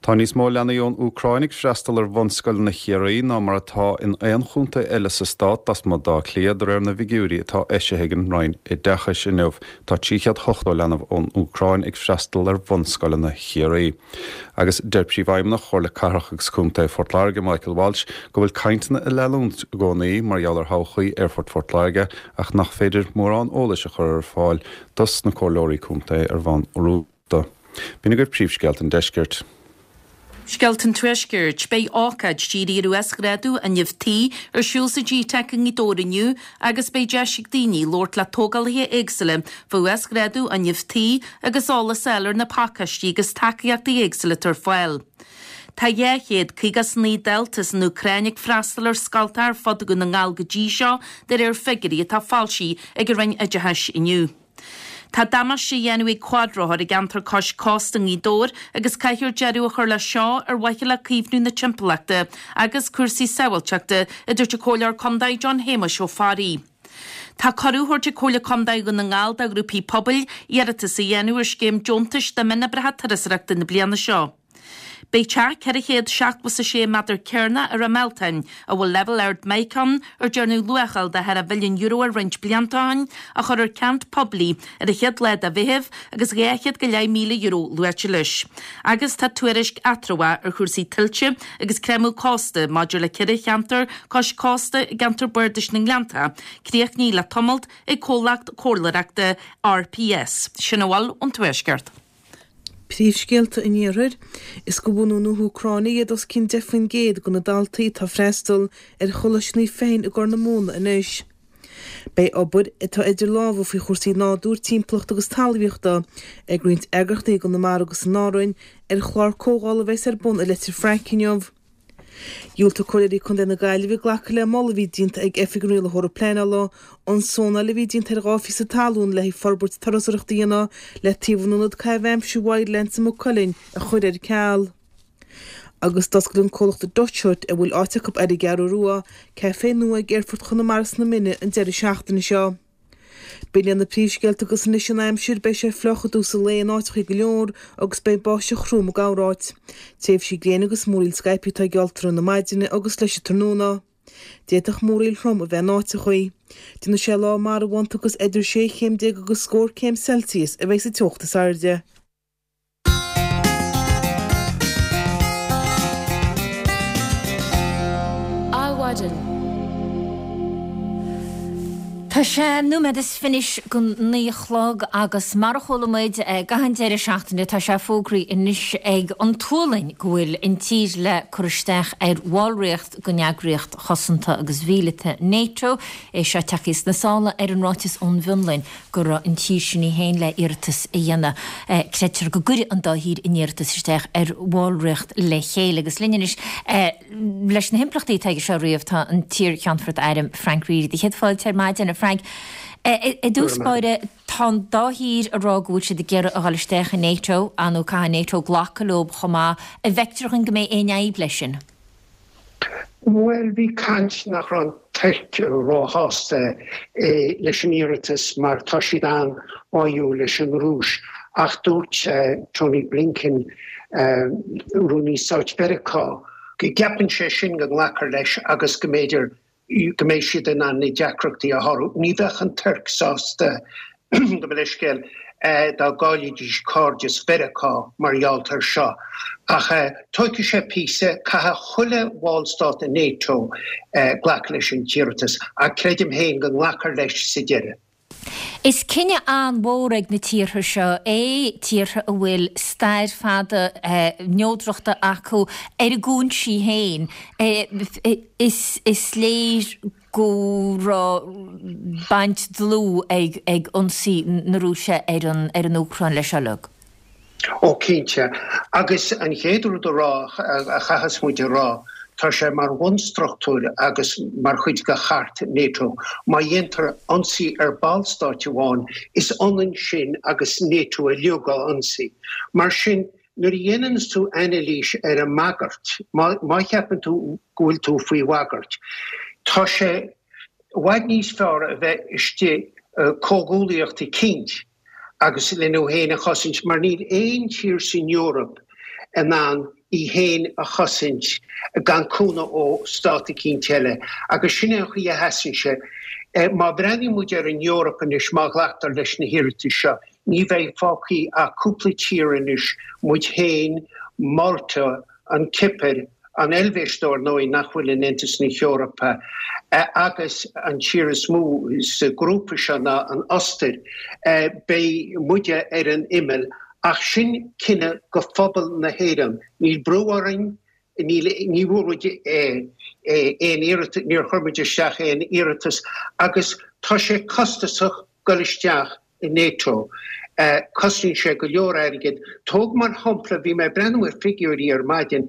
Tá níos mó leanaí ón Úcráin ag freastal ar bhunscoileanna Chiarraí ná mar atá in aon chontae eile sa stát lasmuigh d'Áth Cliath, de réir na bhfigiúirí atá eisithe ag an Roinn Oideachais inniu. Tá 380 leanbh ón Úcráin ag freastal ar bhunscoileanna Chiarraí. Agus deir Príomhfheidhmeannach Chomhairle Cathrach agus Contae Phort Láirge, Michael Walsh, go bhfuil cainteanna ag leanúint i gcónaí mar gheall ar thodhchaí Aerfort Phort Láirge ach nach féidir mórán eolais a chur ar fáil dos na comhairleoirí contae ar bhonn rúnda. B'in agaibh príomhscéalta an deiscirt. Scéalta an Tuaiscirt. Beidh ócáid dírithe ar uasghrádú fhuinneamh tí ar siúl sa GTeic i nGaoth Dobhair inniu agus beidh deis ag daoine labhairt le tógálaithe éagsúla fá uasghrádú fhuinneamh tí agus eolas a fháil ar na pacáistí agus tacaíochtaí éagsúla atá ar fáil. Tá 259 dalta as an Úcráin ag freastal ar scoltacha ar fud Dhún na nGall go dtí seo, de réir figiúirí atá foilsithe ag an Roinn Oideachais inniu. Tá damáiste á dhéanamh ag cuadrothair i gceantar cois cósta i nGaoth Dobhair agus caithfear deireadh a chur leis seo ar mhaithe le caomhnú na timpeallachta agus cúrsaí sábháilteachta, a dúirt an Comhairleoir Contae John Shéamuis Ó Fearraigh. Tá cuireadh á thabhairt ag Comhairle Contae Dhún na nGall do ghrúpaí pobail iarratas a dhéanamh ar scéim deontais do mhionoibreacha turasóireachta na bliana seo. Beidh teach 476 méadar cearnach i Ráth Mealtain, a bhfuil leibhéal ard mica ann, ar dearnadh luacháil de cheithre mhilliún euro air roinnt blianta ó shin, á chur ar ceant poiblí ar an chéad lá de Mheitheamh agus €200,000 luaite leis. Agus tá tuairisc eatramhach ar chúrsaí tuilte agus creimeadh cósta maidir le ceithre cheantar cois cósta i gceantar Bardais na nGleannta, críochnaithe le tamalt ag comhlacht comhairleoireachta RPS. Sin a bhfuil ón Tuaisceart. Príomhscéalta an Iarthair, Is de bhunú na hÚcráine iad os cionn 10% de na daltaí atá ag freastal ar Choláiste Naomh Feichin i gCorr na Móna anois. Beidh obair atá idir lámha faoi chúrsaí nádúir, timpeallachta agus talmhaíochta ag roinnt eagraíochtaí i gConamara agus in Árainn ar chlár comhdhála a bheas ar bun i Leitir Fraic inniu. Dhiúltaigh Comhairleoirí Contae na Gaillimhe glacadh le moladh a bhí déanta ag Oifig an Rialaitheora Pleanála an zónáil a bhí déanta ar dha phíosa talún le haghaidh forbairt turasóireachta a dhéanamh le taobh an ionad caitheamh aimsire Wildlands i Maigh Cuilinn a chur ar ceal. Agus d'oscail an comhlacht Dutch Hut, a bhfuil áit acu ar an gCeathrú Rua, caifé nua ag Aerfort Chonamara sna Mine an deireadh seachtaine seo. B'in iad na príomhscéalta agus anois an aimsir, beidh sé fliuch i dtús an lae in áiteachaí go leor agus beidh báisteach throm i gcorráit. Tréimhsí gréine agus múraíl scaipthe atá geallta i rith na maidine agus leis an tráthnóna. D'fhéadfadh múraíl throm a bheith in áiteachaí. Déanfaidh sé lá marbhánta agus idir sé chéim déag agus scór céim Celsius a bheidh sa teocht is airde. Adhmhaidin. Tá sé nóiméad is fiche go naoi a chlog agus mar a chuala muid gach an deireadh seachtaine tá sé fógraithe anois ag an tSualainn go bhfuil an tír le cur isteach ar bhallraíocht den eagraíocht chosanta agus mhíleata NATO. É seo tagtha sna sála ar an ráiteas ón bhFionlainn go raibh an tír sin í féin le iarratas a dhéanamh. Creidtear go gcuirfidh an dá thír an iarratas isteach ar bhallraíocht le chéile agus linn anois leis na himpleachtaí atá aige seo a ríomh tá an t-iar-Cheannfort Airm Frank Reidy. Do chéad fáilte ar maidin, a Frank. I dtús báire, tá an dá thír ag rá go bhfuil siad ag iarraidh a dhul isteach i NATO, ar ndóigh caithfidh NATO glacadh leo chomh maith. An bhfeictear dhuinn go mbeidh aon fhadhb leis sin? Bhuel, bhí caint nach raibh an Tuirc róshásta leis an iarratas mar tá siad an-bháúil leis an Rúis ach dúirt Tony Blinken, Rúnaí Stáit Mheiriceá, go gceapann sé sin go nglacfar leis agus go mb'fhéidir go mbeidh siad in ann na deacrachtaí a shárú. Ní bheadh an Tuirc sásta, gabh mo leithscéal, dá gcaillfidís cairdeas Mheiriceá mar gheall air seo. Ach tógfaidh sé píosa, caithfidh chuile bhallstát i NATO glacadh leis an t-iarratas, ach creidim féin go nglacfar leis sa deireadh. Is cinneadh an-mhór ag na tíortha seo é, tíortha a bhfuil stair fada neodrachta acu ar a gcúinsí féin. Is léir go raibh baint dlúth ag ionsaí na Rúise ar an Úcráin leis seo uilig. Ó cinnte. Agus an chéad rud a rá, a chaithfeas muid a rá, tá sé mar bhunstruchtúr agus mar chuid de chairt NATO, má dhéantar ionsaí ar ballstáit amháin, is ionann sin agus NATO uilig á ionsaí. Mar sin, nuair a dhéananns tú anailís ar an mbagairt, má cheapann tú go bhfuil tú faoi bhagairt, tá sé i bhfad níos fearr a bheith istigh i comhghuaillíocht eicínt agus lena thú féin a chosaint, mar níl aon tír san Eoraip in ann í féin a chosaint gan cúnamh ó stát eicínt eile. Agus sin é an chaoi a sheasann sé. Má bhreathnaíonn muid ar an Eoraip anois, má ghlactar leis na hiarratais seo, ní bheidh fágthaí ach cúpla tír anois, muid féin, Málta, an Chipir, an Eilvéis dár ndóigh, nach bhfuil in Aontas na hEorpa, agus an tír is mó sa ghrúpa seo ná an Ostair. Beidh muide ar an imeall, ach sin cinneadh go phobal na hÉireann. Níl brú orainn, níl, ní bhfuair muid aon iarratas, níor chuir muid isteach aon iarratas agus tá sé costasach dul isteach i NATO. Cosnaíonn sé go leor airgid. Tóg mar shampla, bhí mé ag breathnú ar figiúirí ar maidin,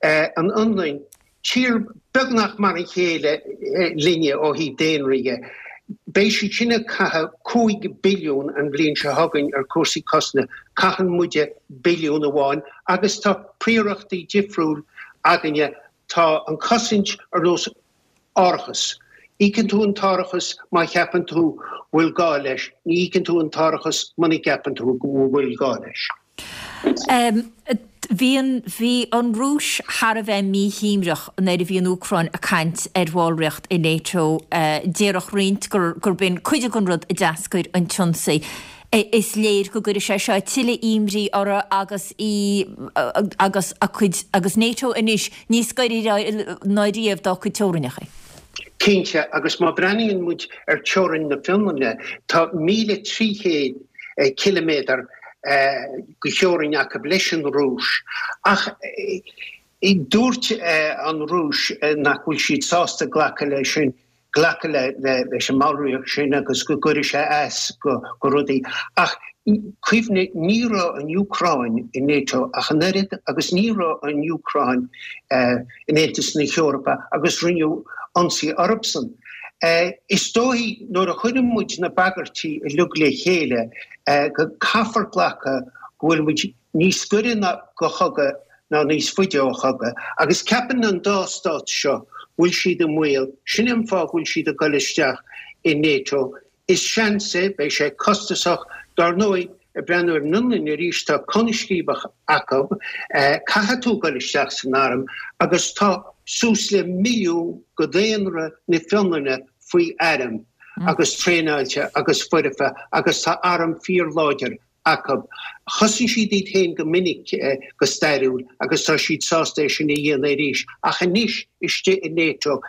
an Fhionlainn, tír beagnach mar a chéile linne ó thaobh daonra dhe, beidh siad sin ag caitheamh 5 billiún an bhliain seo chugainn ar chúrsaí cosanta, caitheann muide billiún amháin agus tá príorachtaí difriúil againne, tá an chosaint ar nós Árachas. Íocann tú an t-árachas má cheapann tú bhfuil gá leis, ní íocann tú an t-árachas muna gceapann tú go bhfuil gá leis. Bhí an, bhí an Rúis thar a bheith míshuaimhneach nuair a bhí an Úcráin ag caint ar bhallraíocht i NATO. Déarfadh roinnt gur, gurb in cuid den rud a d'eascair an t-ionsaí. Is léir go gcuirfidh sé seo tuilleadh imní orthu agus í, agus a cuid, agus NATO anois níos gaire ná riamh dá cuid teorainneacha. Cinnte, agus má bhreathnaíonn muid ar teorainn na Fionlainne, tá 1,300 ciliméadar de theorainn acu leis an Rúis. Ach dúirt an Rúis nach bhfuil siad sásta glacadh leis sin. glacadh leis an mballraíocht sin agus go gcuirfidh sé as go rudaí. Ach cuimhnigh, ní raibh an Úcráin i NATO ach an oiread agus ní raibh an Úcráin in Aontas na hEorpa agus rinneadh ionsaí orthusan. Is dóigh nuair a chuireann muid na bagairtí uilig le chéile go caithfear glacadh go bhfuil muid níos gaire go chogadh ná níos faide ó chogadh, agus ceapann an dá stát seo go bhfuil siad i mbaol, sin é an fáth go bhfuil siad ag dul isteach i NATO. Is seans é, beidh sé costasach, dár ndóigh, ag breathnú ar an Fhionlainn arís, tá Conamh Scríobach acu, caithfidh tú dul isteach san arm, agus tá. suas le milliún de dhaonra na Fionlainne faoi airm agus traenáilte agus foirfe agus tá arm fíorláidir acu. Chosain siad iad féin go minic go stairiúil agus tá siad sásta é sin a dhéanamh arís. Ach anois, istigh i NATO,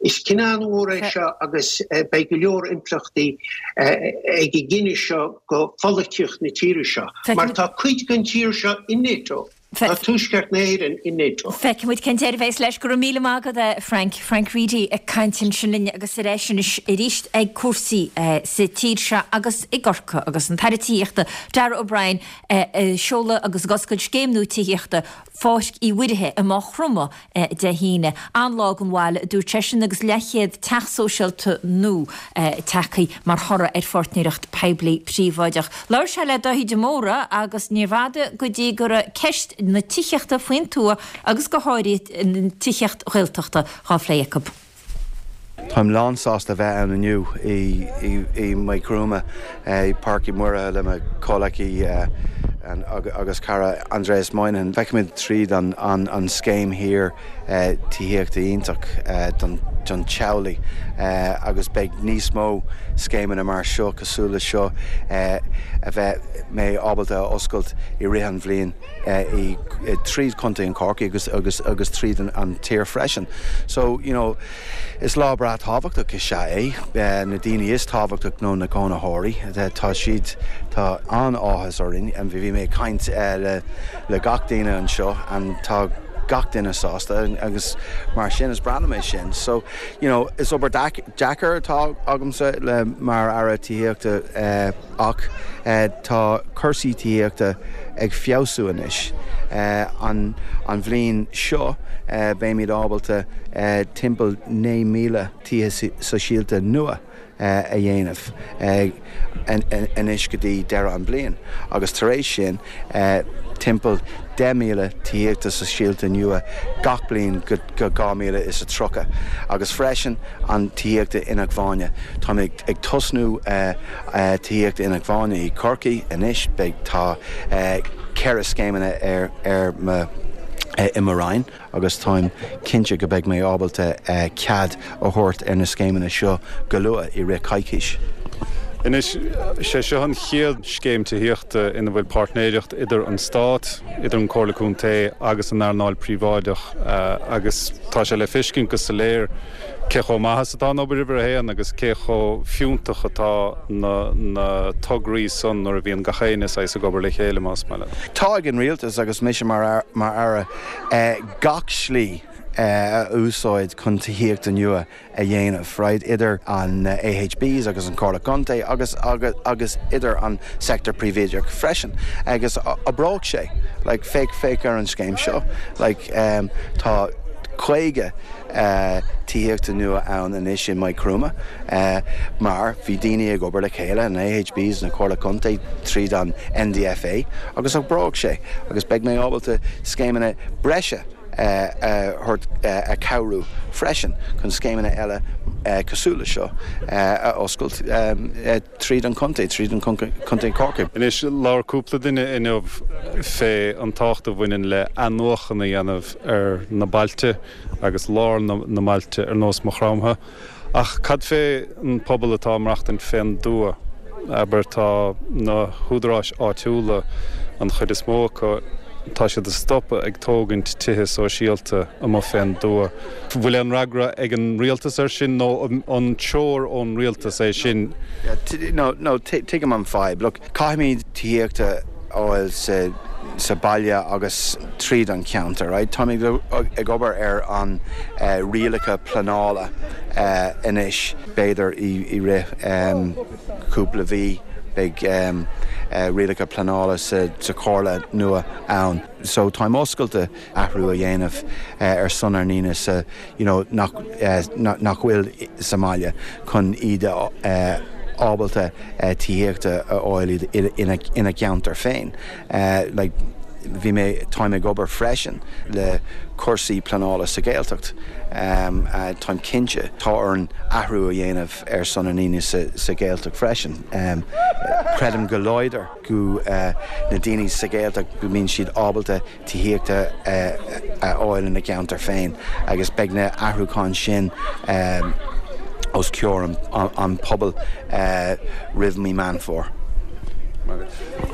is cinneadh an-mhór é seo agus beidh go leor impleachtaí ag an gcinneadh seo go pholaitíocht na tíre seo. Mar tá cuid den tír seo i NATO. Tá Tuaisceart na hÉireann i NATO. Feicfidh muid cén deireadh a bheas leis. Go raibh míle maith agat a Frank. Frank Reidy ag caint ansin linn agus ar ais anois arís ag cúrsaí sa tír seo agus i gCorcaigh agus an tAire Tithíochta Darragh O'Brien ag seoladh agus ag oscailt scéim nua tithíochta Pháirc Uí Mhuirithe i Maigh Chromtha Dé hAoine. An-lá don bhaile, a dúirt seisean, agus leathchéad teach sóisialta nua tagtha mar thoradh ar pháirtnéireacht poiblí príobháideach. Labhair sé le Dáithí de Mórdha agus níorbh fhada go dtí go raibh ceist na tithíochta faoin tuath agus go háirithe an tithíocht Ghaeltachta dhá phlé acu. Táim lán-sásta a bheith ann inniu i Maigh Chromtha, i Páirc Uí Mhuirithe le mo chomhleacaí agus cara Aindrias Moynihan. Feicimid tríd an scéim thiar tithíochta iontach don teaghlaigh agus beidh níos mó scéimeanna mar seo, cosúil le seo, a bheidh mé ábalta a oscailt i rith an bhliain. tríd Contae an Chorcaí agus agus agus tríd an tír freisin. So, you know, is lá breá tábhachtach is ea é. Na daoine is tábhachtach nó na cónaitheoirí, tá siad, tá an-áthas orainn. Bhí mé ag caint le le gach duine anseo and tá gach duine sásta agus mar sin is breá liom é sin. So, you know, is obair deacair atá agamsa le mar Aire Tithíochta, Ach tá cúrsaí tithíochta ag feabhsú anois. An bhliain seo beimid ábalta timpeall 9,000 tithe sóisialta nua a dhéanamh anois go dtí deireadh an bhliain agus tar éis sin timpeall 10,000 tithíochta sóisialta nua gach bliain go 2030 agus freisin an tithíochta inacmhainne. Táimid ag tosnú tithíochta inacmhainne i Corcaigh anois. Beidh, tá 4 scéimeanna ar, ar mo, i mo Roinn agus táim cinnte go beidh mé ábalta cead a thabhairt ar na scéimeanna seo go luath, i rith coicís. Anois, sé seo an chéad scéim tithíochta ina bhfuil páirtnéireacht idir an Stát, idir an Comhairle Contae agus an earnáil príobháideach agus tá sé le feiscint go soiléir cé chomh maith is atá an obair uimhir a haon agus cé chomh fiúntach atá na na tograí san nuair a bhíonn gach éinne saghas ag obair le chéile, más maith leat. Tá ag an Rialtas agus mise mar mar Aire gach slí a úsáid chun tithíochta nua a dhéanamh, right, idir an AHBs agus an Comhairle Contae agus agus agus idir an sector príobháideach freisin agus oibreoidh sé, like féach féach ar an scéim seo, like tá 50 tithíochta nua ann anois i Maigh Chromtha mar bhí daoine ag obair le chéile, an AHBs, na Comhairle Contae tríd an NDFA agus oibreoidh sé agus beidh mé ábalta scéimeanna breise a thabhairt a cabhrú freisin chun scéimeanna eile cosúil le seo a oscailt tríd an chontae, tríd an Contae Corcaigh. Anois, labhair cúpla duine inniu fé an tábhacht a bhaineann le athnuachan a dhéanamh ar na bailte agus lár na mbailte ar nós Maigh Chromtha. Ach cad fé an pobal atá ag maireachtaint fén dtuath? Abair, tá na húdaráis áitiúla, an chuid is mó acu, tá siad ag stopadh ag tógaint tithe sóisialta amuigh fén dtuath. Bhfuil aon fhreagra ag an rialtas air sin nó an treoir ón rialtas é sin? No, no, tuigim an fadhb. Look, caithfimid tithíochta a fháil sa sa baile agus tríd an cheantar, right? Táimid ag obair ar an rialacha pleanála anois, b'fhéidir i rith cúpla mhí beidh rialacha pleanála sa chomhairle nua ann. So táim oscailte athrú a dhéanamh ar son ár ndaoine sa you know nach nach bhfuil sa mbaile chun iad a ábalta tithíochta a fháil ina ina gceantar féin. Like. Bhí mé, táim ag obair freisin le cúrsaí pleanála sa Ghaeltacht. Táim cinnte, tá orainn athrú a dhéanamh ar son na ndaoine sa Ghaeltacht freisin. Creidim go láidir go na daoine sa Ghaeltacht go mbíonn siad ábalta tithíochta a fháil ina gceantar féin agus beidh na athrúcháin sin os comhair an pobail roimh mí Meán Fómhair.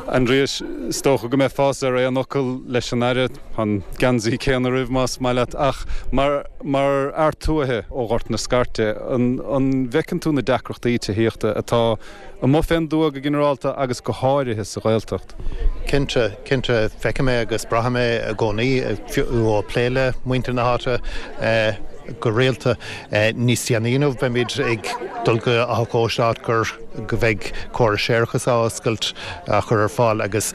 Aindrias, is dócha go mbeifeása ar aon fhocal leis an Aire, an geansaí céanna oraibh más maith leat, ach mar mar fhear tuaithe ó Ghort na Scairte, an bhfeiceann tú na deacrachtaí tithíochta atá amuigh fén dtuath go ginearálta agus go háirithe sa Ghaeltacht. Cinnte, cinnte, feicim é agus braithim é i gcónaí, fiú ó plé le muintir na háite go rialta. Níos déanaí inniu beimid ag dul go Áth Cóiste áit gur go mbeidh córas séarachais á oscailt, á chur ar fáil agus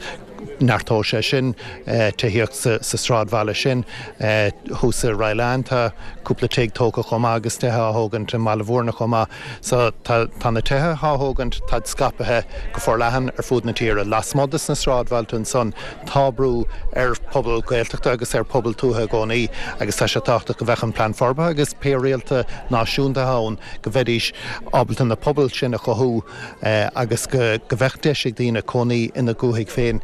neartóidh sé sin tithíocht sa sráidbhaile sin. Thuas i Ragh tá cúpla tigh tógtha chomh maith agus tithe á thógaint i mBaile Mhúirne chomh maith. So tá na tithe á thógaint, táid scaipthe go forleathan ar fud na tíre. Lasmuigh de sna sráidbhailte ansan tá brú ar phobal Gaeltachta agus ar phobal tuaithe i gcónaí agus tá sé tábhachtach go mbeadh an Plean Forbartha agus pé rialta náisiúnta ann go mbeidís ábalta na pobail sin a chothú agus go mbeadh deis ag daoine cónaí ina ndúthaigh féin.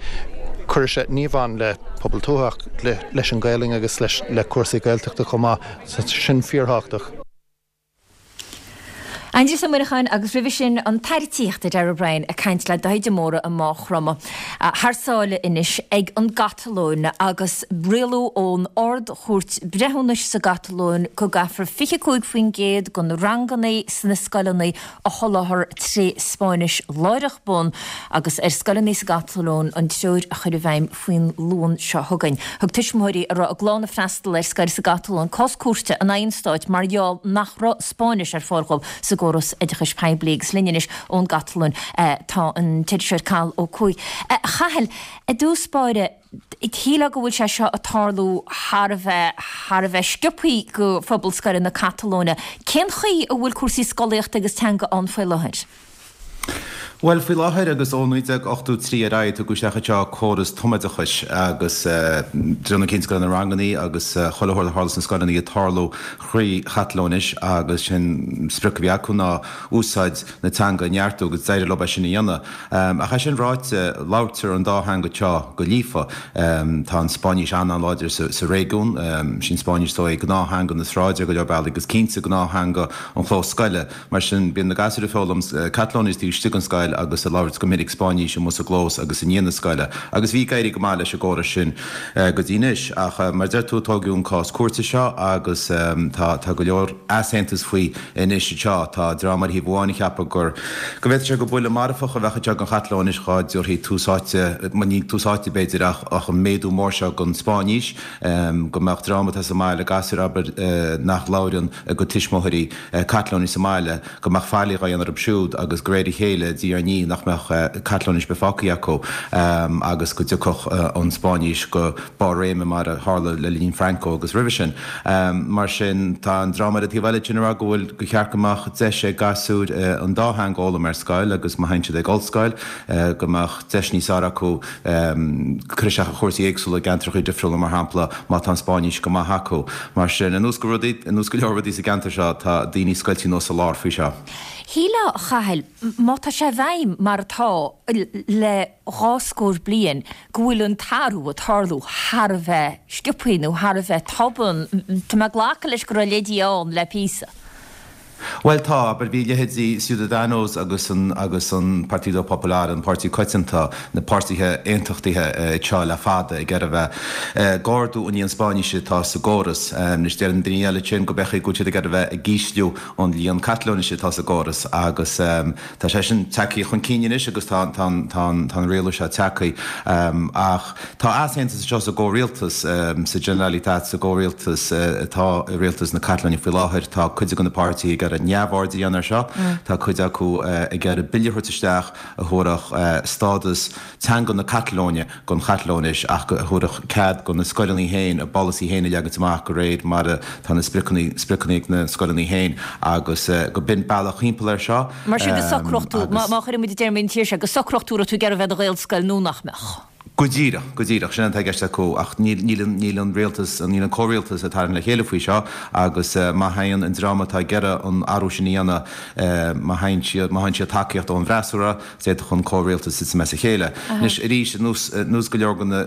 Cuirfidh sé, ní amháin le pobal tuaithe ach leis an Ghaelainn agus le cúrsaí Gaeltachta chomh maith. Tá sin fíorthábhachtach. Aindrias Ó Muineacháin agus roimhe sin an tAire Tithíochta Darragh O'Brien ag caint le Daithí de Mórdha i Maigh Chromtha. Thar sáile anois ag an gCatalóin agus rialú ón Ard-Chúirt Breithiúnais sa gCatalóin go gcaithfear 25% de na ranganna sna scoileanna a sholáthar tré Spáinnis láithreach bonn agus ar scoileanna sa gCatalóin an treoir a chur i bhfeidhm faoin Luan seo chugainn. Thug tuismitheoirí a raibh a gclann ag freastal ar scoil sa gCatalóin cás cúirte in aghaidh an stáit mar gheall nach raibh Spáinnis ar fáil dhóibh sa gcóras oideachais poiblí agus linn anois ón gCatalóin tá an t-iriseoir Cathal Ó Cuaig. A Chathail, i dtús báire, shílfeá go bhfuil sé seo ag tarlú thar a bheith, thar a bheith sciobthaí go phobal scoile na Catalóine. Cén chaoi a bhfuil cúrsaí scolaíochta agus teanga ann faoi láthair? Bhuel, faoi láthair agus ó 1983 ar aghaidh, tugadh isteach anseo córas tumoideachais agus déanadh cinnte go raibh na rangannaí agus chuile shórt a tharla sna scoileanna ag tarlú thrí Chatalóinis agus sin sprioc a bhí acu ná úsáid na teanga a neartú agus d'éirigh leo é sin a dhéanamh. Ach é sin ráite, labhairtear an dá theanga anseo go líofa. Tá an Spáinnis an-an-láidir sa réigiún. Sin Spáinnis is dóigh gnáth-theanga na sráide ar go leor bealaí agus cinnte gnáth-theanga an chlós scoile. Mar sin, bíonn na gasúir ag foghlaim Catalóinis taobh istigh den scoil agus ag labhairt go minic Spáinnís amuigh sa gclós agus i ndiaidh na scoile. Agus bhí ag éirí go maith leis an gcóras sin go dtí anois. Ach mar a deir tú, tóigeadh an cás cúirte seo agus tá tá go leor easaontas faoi anois anseo. Tá dream ar thaobh amháin ag ceapadh gur go bhféadfadh sé gur buille marfach a bheadh anseo don Chatalóinis dhá dtabharfaí tús áite, ní tús áite b'fhéidir ach ach an méadú mór seo don Spáinnís, go mbeadh dream atá sa mbaile, gasúir abair nach labhrann a gcuid tuismitheoirí, Catalóinis sa mbaile, go mbeadh faillí dhá dhéanamh orthu siúd agus de réir a chéile, diaidh ar ndiaidh, nach mbeadh Catalóinis ar bith fágtha acu agus go dtiocfadh an Spáinnis go barr réime mar a tharla le linn Franco agus roimhe sin. Mar sin, tá an dream ar an taobh eile sin ag rá go bhfuil, gur cheart go mbeadh deis ag gasúir an dá theanga a fhoghlaim ar scoil agus má théann siad ag ollscoil, go mbeadh deis níos fearr acu cur isteach ar chúrsaí éagsúla i gceantracha difriúla, mar shampla, má tá an Spáinnis go maith acu. Mar sin, ar nós go rudaí, ar nós go leor rudaí sa gceantar seo, tá daoine scoilte anuas sa lár faoi seo. Shílfeá, a Chathail, má tá sé i bhfeidhm mar atá le dhá scór bliain, go bhfuil an t-athrú ag tarlú thar a bheith sciobthaí nó thar a bheith tobann. Tá mé ag glacadh leis go raibh leidí ann le píosa. Bhuel tá, abair, bhí leithéidí Ciudadanos agus an agus an Partido Popular, an Páirtí Coitianta, na páirtithe aontachtaithe anseo le fada ag iarraidh a bheith ag ardú an líon Spáinnise atá sa gcóras. Anois deireann daoine eile ansin go b'fhéidir go bhfuil siad ag iarraidh a bheith ag ísliú an líon Catalóinise atá sa gcóras agus tá sé sin tagtha chun cinn anois agus tá tá tá tá an rialú seo tagtha. Ach Tá easaontas anseo sa gcomhrialtas, sa Generalitat, sa gcomhrialtas atá i rialtas na Catalóine faoi láthair. Tá cuid de na páirtithe ag iarraidh neamhaird a dhéanamh air seo. Tá cuid acu ag iarraidh bille a thabhairt isteach a thabharfadh stádas teanga na Catalóine don Chatalóinis ach a thabharfadh cead do na scoileanna féin a bpolasaí féin a leagaint amach de réir mar atá na spriocanna spriocanna ag na scoileanna féin agus go b'in bealach thimpeall air seo. Mar sin go socródh tú, má chuireann muid i dtéarmaí na tíre seo, go socródh tú raibh tú ag iarraidh a bheith i do Ghaelscoil nó nach mbeadh. Go díreach, go díreach, sin atá i gceist acu ach níl, níl an, níl an rialtas, níl an comhrialtas ag tarraingt le chéile faoi seo agus má théann an dream atá ag iarraidh an athrú sin a dhéanamh, má théann siad, má fhaigheann siad tacaíocht ón bhfreasúra, d'fhéadfadh an comhrialtas titim as a chéile. Anois, arís, ar nós, ar nós go leor de na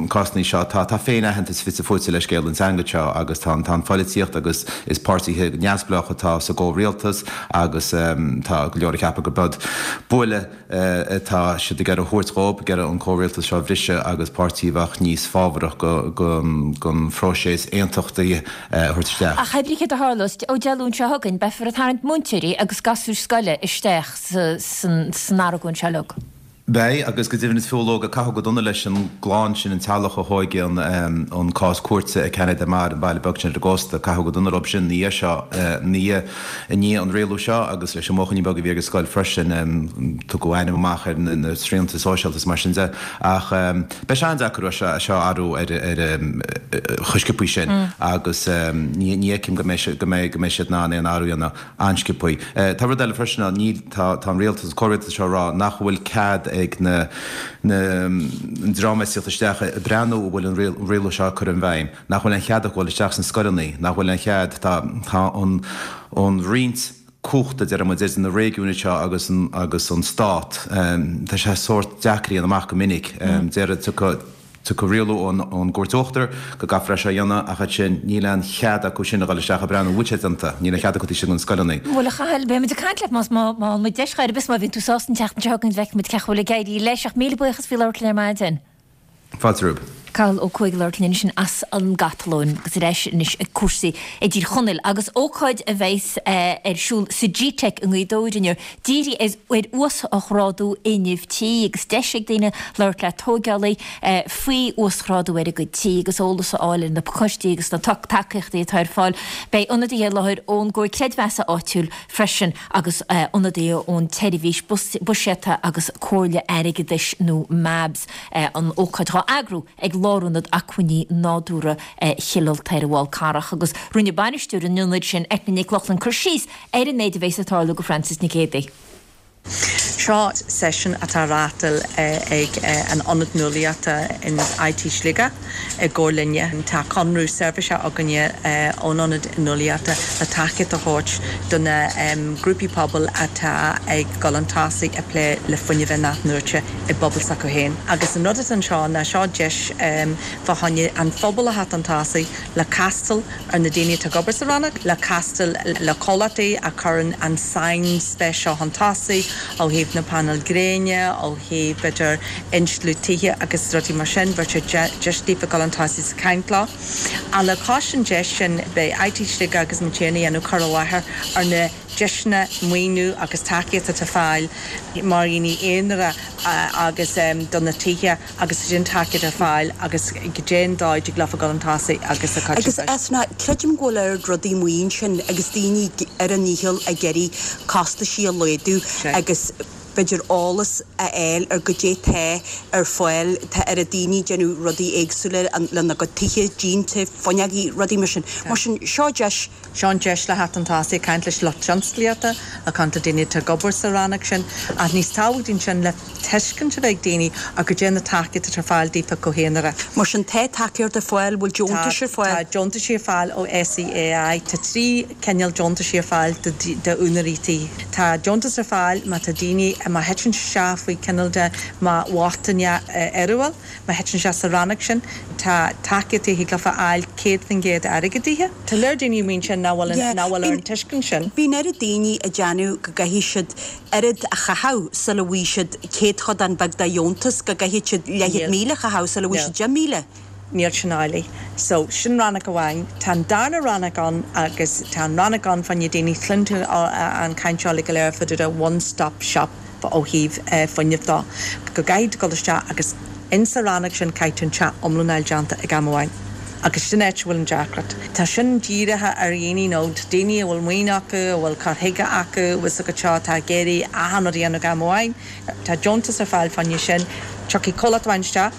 cásanna seo, tá, tá féin-aitheantas fite fuaite le scéal an teanga seo agus tá an, tá an pholaitíocht agus is páirtithe neamhspleácha atá sa gcomhrialtas agus tá go leor ag ceapadh gurb buille atá siad ag iarraidh a thabhairt dhóibh, ag iarraidh an comhrialtas seo a bhriseadh agus páirtí a bheadh níos fábharach don phróiseas aontachtaithe a thabhairt isteach. Ach hé brí céard a tharlós, ó Dé Luain seo chugainn, beifear ag tarraingt múinteoirí agus gasúir scoile isteach san argóint seo uilig. Beidh, agus go deimhin is fiú leoga, caitheadh go dona leis an gclann sin, an teaghlach a thóig an cás cúirte i Canet de Mar, an baile beag sin ar an gcósta, caitheadh go dona leo sin ina dhiaidh seo, ina dhiaidh. I ndiaidh an rialú seo, agus leis an mbuachaillín beag a bhí ag an scoil freisin, tugadh ainm amach ar na srianta sóisialta is mar sin de. Ach beidh sé an-deacair é seo a athrú ar chomh sciobthaí sin agus ní fheicim go mbeidh go mbeidh siad in ann aon athrú a dhéanamh an-sciobthaí. Tá rud eile freisin ann, níl, tá an rialtas, an comhrialtas seo ag rá nach bhfuil cead ag na an dream ag tíocht isteach ag breathnú an bhfuil an rialú seo curtha i bhfeidhm. nach bhfuil aon chead acu dul isteach sna scoileanna, nach bhfuil aon chead, tá, tá an, an roinnt cumhachta, deir muid, idir na réigiúin seo agus an, agus an stát, tá sé sórt deacair a dhéanamh amach go minic. Deir, tiocfaidh, tiocfaidh rialú ón, ón gCúirt Uachtar go gcaithfear é seo a dhéanamh ach ansin níl aon chead acu sin a dhul isteach ag breathnú an bhfuil sé déanta, níl aon chead acu taobh istigh de na scoileanna. Bhuel, a Chathail, beidh muid ag caint leat más, má, má fhaigheann muid deis chor ar bith, má bhíonn tú sásta an tseachtain seo chugainn, feicfidh muid cén chaoi a bhfuil ag éirí leis ach míle buíochas faoi labhairt linn ar maidin. Fáilte romhaibh. Cathal Ó Cuaig ag labhairt linn ansin as an gCatalóin agus ar ais anois ag cúrsaí i dTír Chonaill agus ócáid a bheas ar siúl sa G-Teic i nGaoth Dobhair inniu dírithe ar uasghrádú fhuinnimh tí agus deis ag daoine labhairt le tóigeálaí faoi uasghrádú ar a gcuid tí agus eolas a fháil ar na pacáistí agus na tacaíochtaí atá ar fáil. Beidh ionadaithe i láthair ón gComhar Creidmheasa áitiúil freisin agus ionadaithe ón tSeirbhís Buiséadta agus Comhairle Airgeadais nó MABS. An ócáid dhá eagrú ag Lárionad Acmhainní Nádúrtha Chill Ulta ar an bhFál Carrach agus rinne bainisteoir an ionaid sin, Eithne Nic Lochlainn, cur síos ar an méid a bheas ag tarlú do Frances Nic Géadaigh. Seo seisiún atá á reáchtáil ag an Ionad Nuálaíochta in IT Sligeach i gcomhar linne. Tá conradh seirbhíse againne ón Ionad Nuálaíochta le tacaíocht a thabhairt do na grúpaí pobail atá ag dul chun tosaigh ag plé le fuinneamh in-athnuaite. i bpobal s'acu féin. Agus an rud atá anseo ná seo deis fá choinne an phobal a theacht chun tosaigh le castáil ar na daoine atá ag obair sa rannóg, le castáil le comhlachtaí a chuireann an sainspéis seo chun tosaigh ó thaobh na painéil gréine, ó thaobh b'fhéidir insliú tithe agus rudaí mar sin. Bheadh sé deis daofa dul chun tosaigh sa chaint leo. Ach le cois an deis sin beidh IT Sligeach agus muid féin ag déanamh cur i láthair ar na deiseanna maoiniú agus tacaíocht atá ar fáil mar dhaoine aonair agus do na tithe agus sin tacaíocht ar fáil agus goidé an dóigh dtig leofa dul chun tosaigh agus a cuid Agus Eithne, creidim go bhfuil oiread rudaí amuigh ansin agus daoine ar a ndícheall ag iarraidh costaisí a laghdú agus b'fhéidir eolas a fháil ar goidé tá ar fáil, tá oiread daoine ag déanamh rudaí éagsúla lena gcuid tithe, díonta, fuinneogaí, rudaí mar sin. Mar sin, seo deis. Seo an deis le theacht chun tosaigh, ag caint leis lucht tionsclaíochta, le caint le daoine atá ag obair sa rannóg sin, ach níos tábhachtaí ná sin, le tuiscint a bheith ag daoine ar goidé na tacaíochtaí atá ar fáil daofa go haonarach. Mar sin, tá tacaíocht ar fáil, bhfuil deontais ar fáil? Tá deontaisí ar fáil ó SEAI. Tá 3 cineál deontaisí ar fáil d'úinéirí tí. Tá deontas ar fáil má tá daoine, má thiteann isteach faoi cineál de má bhochtaineacht fhíorúil. Má thiteann sé sa rannóg sin, tá tacaíochtaí a thig leofa a fháil 100% airgeadaithe. Tá lear daoine amuigh ansin nach bhfuil nach bhfuil ar an tuiscint sin. Bíonn oiread daoine ag déanamh go gcaithfidh siad oiread a chaitheamh sula bhfaighidh siad céadchodán beag de dheontas, go gcaithfidh siad leathchéad míle a chaitheamh sula bhfaighidh siad 10,000. Níl sin amhlaidh. So, sin rannóg amháin. Tá an darna rannóg ann agus tá an rannóg ann fá choinne daoine, cluineann tú an chaint seo uilig go léir fá dtaobh de one stop shop. ó thaobh fuinnimh dó, go gcaithfidh tú dul isteach agus insa rannóg sin caithfidh tú an teach iomlán a fháil déanta ag am amháin. Agus sin áit a bhfuil an deacracht. Tá sin dírithe ar dhaoine nó daoine a bhfuil maoin acu, a bhfuil cur chuige acu, bhfuil 's agat seo, atá ag iarraidh achan rud a dhéanamh ag am amháin. Tá deontas ar fáil fá choinne sin. Tiocfaidh comhlacht amháin isteach.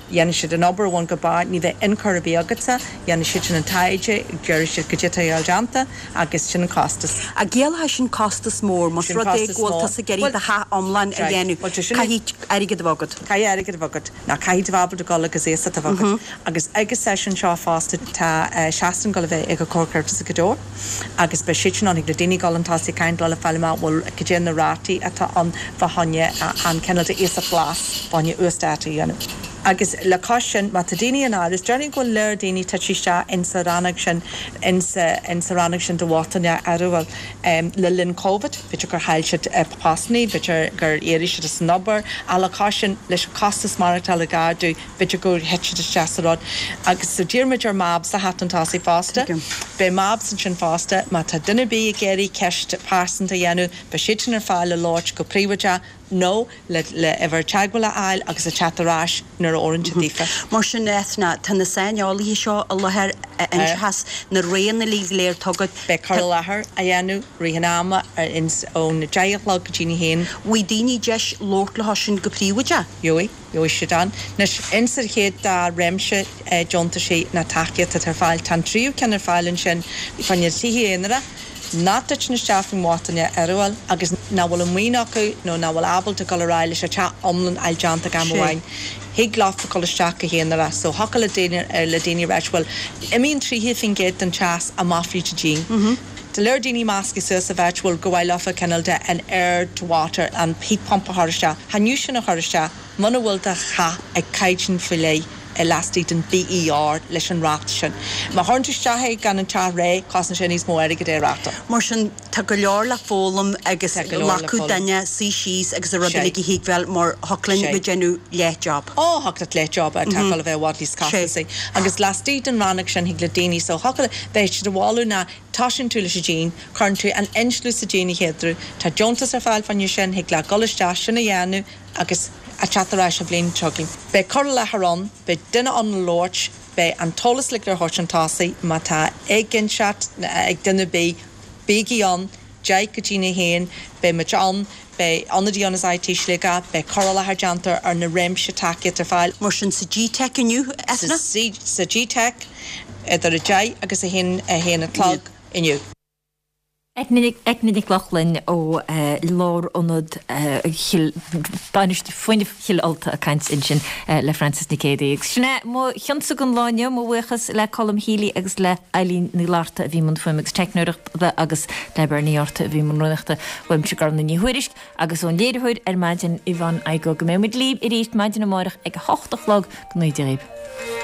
Dhéanfaidh siad an obair ó bhun go barr, ní bheidh ionchur ar bith agatsa, dhéanfaidh siad sin an taighde, déarfaidh siad goidé atá a dhul déanta agus sin an costas. Ach ciallaíonn sin costas mór, más rud é go bhfuil tusa ag iarraidh do theach iomlán a dhéanamh, caithfidh airgead a bheith agat. Caithfidh airgead a bheith agat, nó caithfidh tú bheith ábalta dul agus iasacht a bheith agat. Agus ag an seisiún seo fosta tá seastán ag dul a bheith ag an Comhar Ceirdeasa Ghaoth Dobhair agus beidh siad sin ann, thig le daoine dul chun tosaigh ag caint leo le fáil amach bhfuil cad é na rátaí atá ann fá choinne an cineál de iasacht glas fá choinne uasdátú a dhéanamh. Agus le cois sin, má tá daoine in amhras, déarfainn go bhfuil lear daoine tite isteach insa rannóg sin, insa, insa rannóg sin de bhochtaineacht áirithe le linn Covid, b'fhéidir gur chaill siad postannaí, b'fhéidir gur éirigh siad as an obair, ach le cois sin, leis an costas maireachtála ag ardú, b'fhéidir gur thit siad isteach sa rud. Agus so d'iarr muid ar MABS a theacht chun tosaigh fosta. Beidh MABS ansin fosta. Má tá duine ar bith ag iarraidh ceist pearsanta a dhéanamh, beidh siad sin ar fáil le labhairt go príobháideach nó le le uimhir teagmhála a fháil agus a teacht ar ais nuair a oireann sé daofa. Mar sin, Eithne, tá na saineolaithe seo i láthair a inseochas na roghanna uilig go léir atá agat. Beidh cur i láthair á dhéanamh rith an ama ón 10 a chlog go dtí a haon. Bhfaighidh daoine deis labhairt leo sin go príobháideach? Gheobhaidh. Gheobhaidh siad ann. Anois, ins an chéad dá réimse deontaisí ná tacaíocht atá ar fáil, tá an tríú ceann ar fáil ansin fá choinne tithe aonair nach dtiteann isteach faoin mbochtaine uireamhúil agus nach bhfuil an mhaoin acu nó nach bhfuil ábalta dul ar aghaidh leis an teach iomlán a fháil déanta ag am amháin. Thig leofa dul isteach go haonarach. So thiocfadh le daoine, le daoine a ráit, bhuel, imíonn 30% den teas amach fríd an díon. Tá lear daoine measctha suas a bheith, bhuel, gur mhaith leofa cineál de an air to water, an heat pump a chur isteach. Chan fhiú sin a chur isteach muna bhfuil do theach ag caighdeán faoi leith laistigh den BER leis an ráta sin. Má chuireann tú isteach é gan an teach réidh, cosnaíonn sé níos mó airgid é a reáchtáil. Mar sin, tá go leor le foghlaim agus Tá go leor le glacadh foghlaim. duine suí síos agus an rud uilig a thuigbheáil mar thiocfadh linn bheith ag déanamh leath job. Ó, thiocfadh leat leath job atá ag dul a bheith i bhfad níos costasaí. Agus laistigh den rannóg sin thig le daoine, so thiocfadh le, beidh siad ag moladh ná tosaíonn tú leis an díon, cuireann tú an insliú sa díon a chéaduair, tá deontas ar fáil fá choinne sin, thig leat dul isteach, sin a dhéanamh agus a teacht ar ais an bhliain seo chugainn. Beidh cur i láthair ann, beidh duine ann le labhairt, beidh an t-eolas uilig ar thabhairt chun tosaigh, má tá éiginnteacht ag duine ar bith, bígí ann, 10 go dtí a haon, beidh muid ann, beidh ionadaí ann as IT Sligeach, beidh cur i láthair déanta ar na réimse tacaíochta ar fáil. Mar sin sa GTeic inniu, Eithne? Sa GTeic, idir 10 agus 1, 1 a chlog inniu. Eithne Nic Lochlainn ó Lárionad Bainistiú Fuinnimh Chill Ulta ag caint ansin le Frances Nic Géadaigh. Agus sin é mo chionsa don lá inniu, mo bhuíochas le Colm Healy agus le Eileen Ní Fhlatharta a bhí i mbun fuaime agus teicneoireachta agus le Bernie Arthur a bhí i mbun rúnaíochta. Uaimse Gormfhlaith Ní Thuairisg agus ón léiritheoir ar maidin Yvonne Igoe. Go mbeidh muid libh arís maidin amárach ag a hocht a chlog. Go ngnóthaí Dia dhaoibh.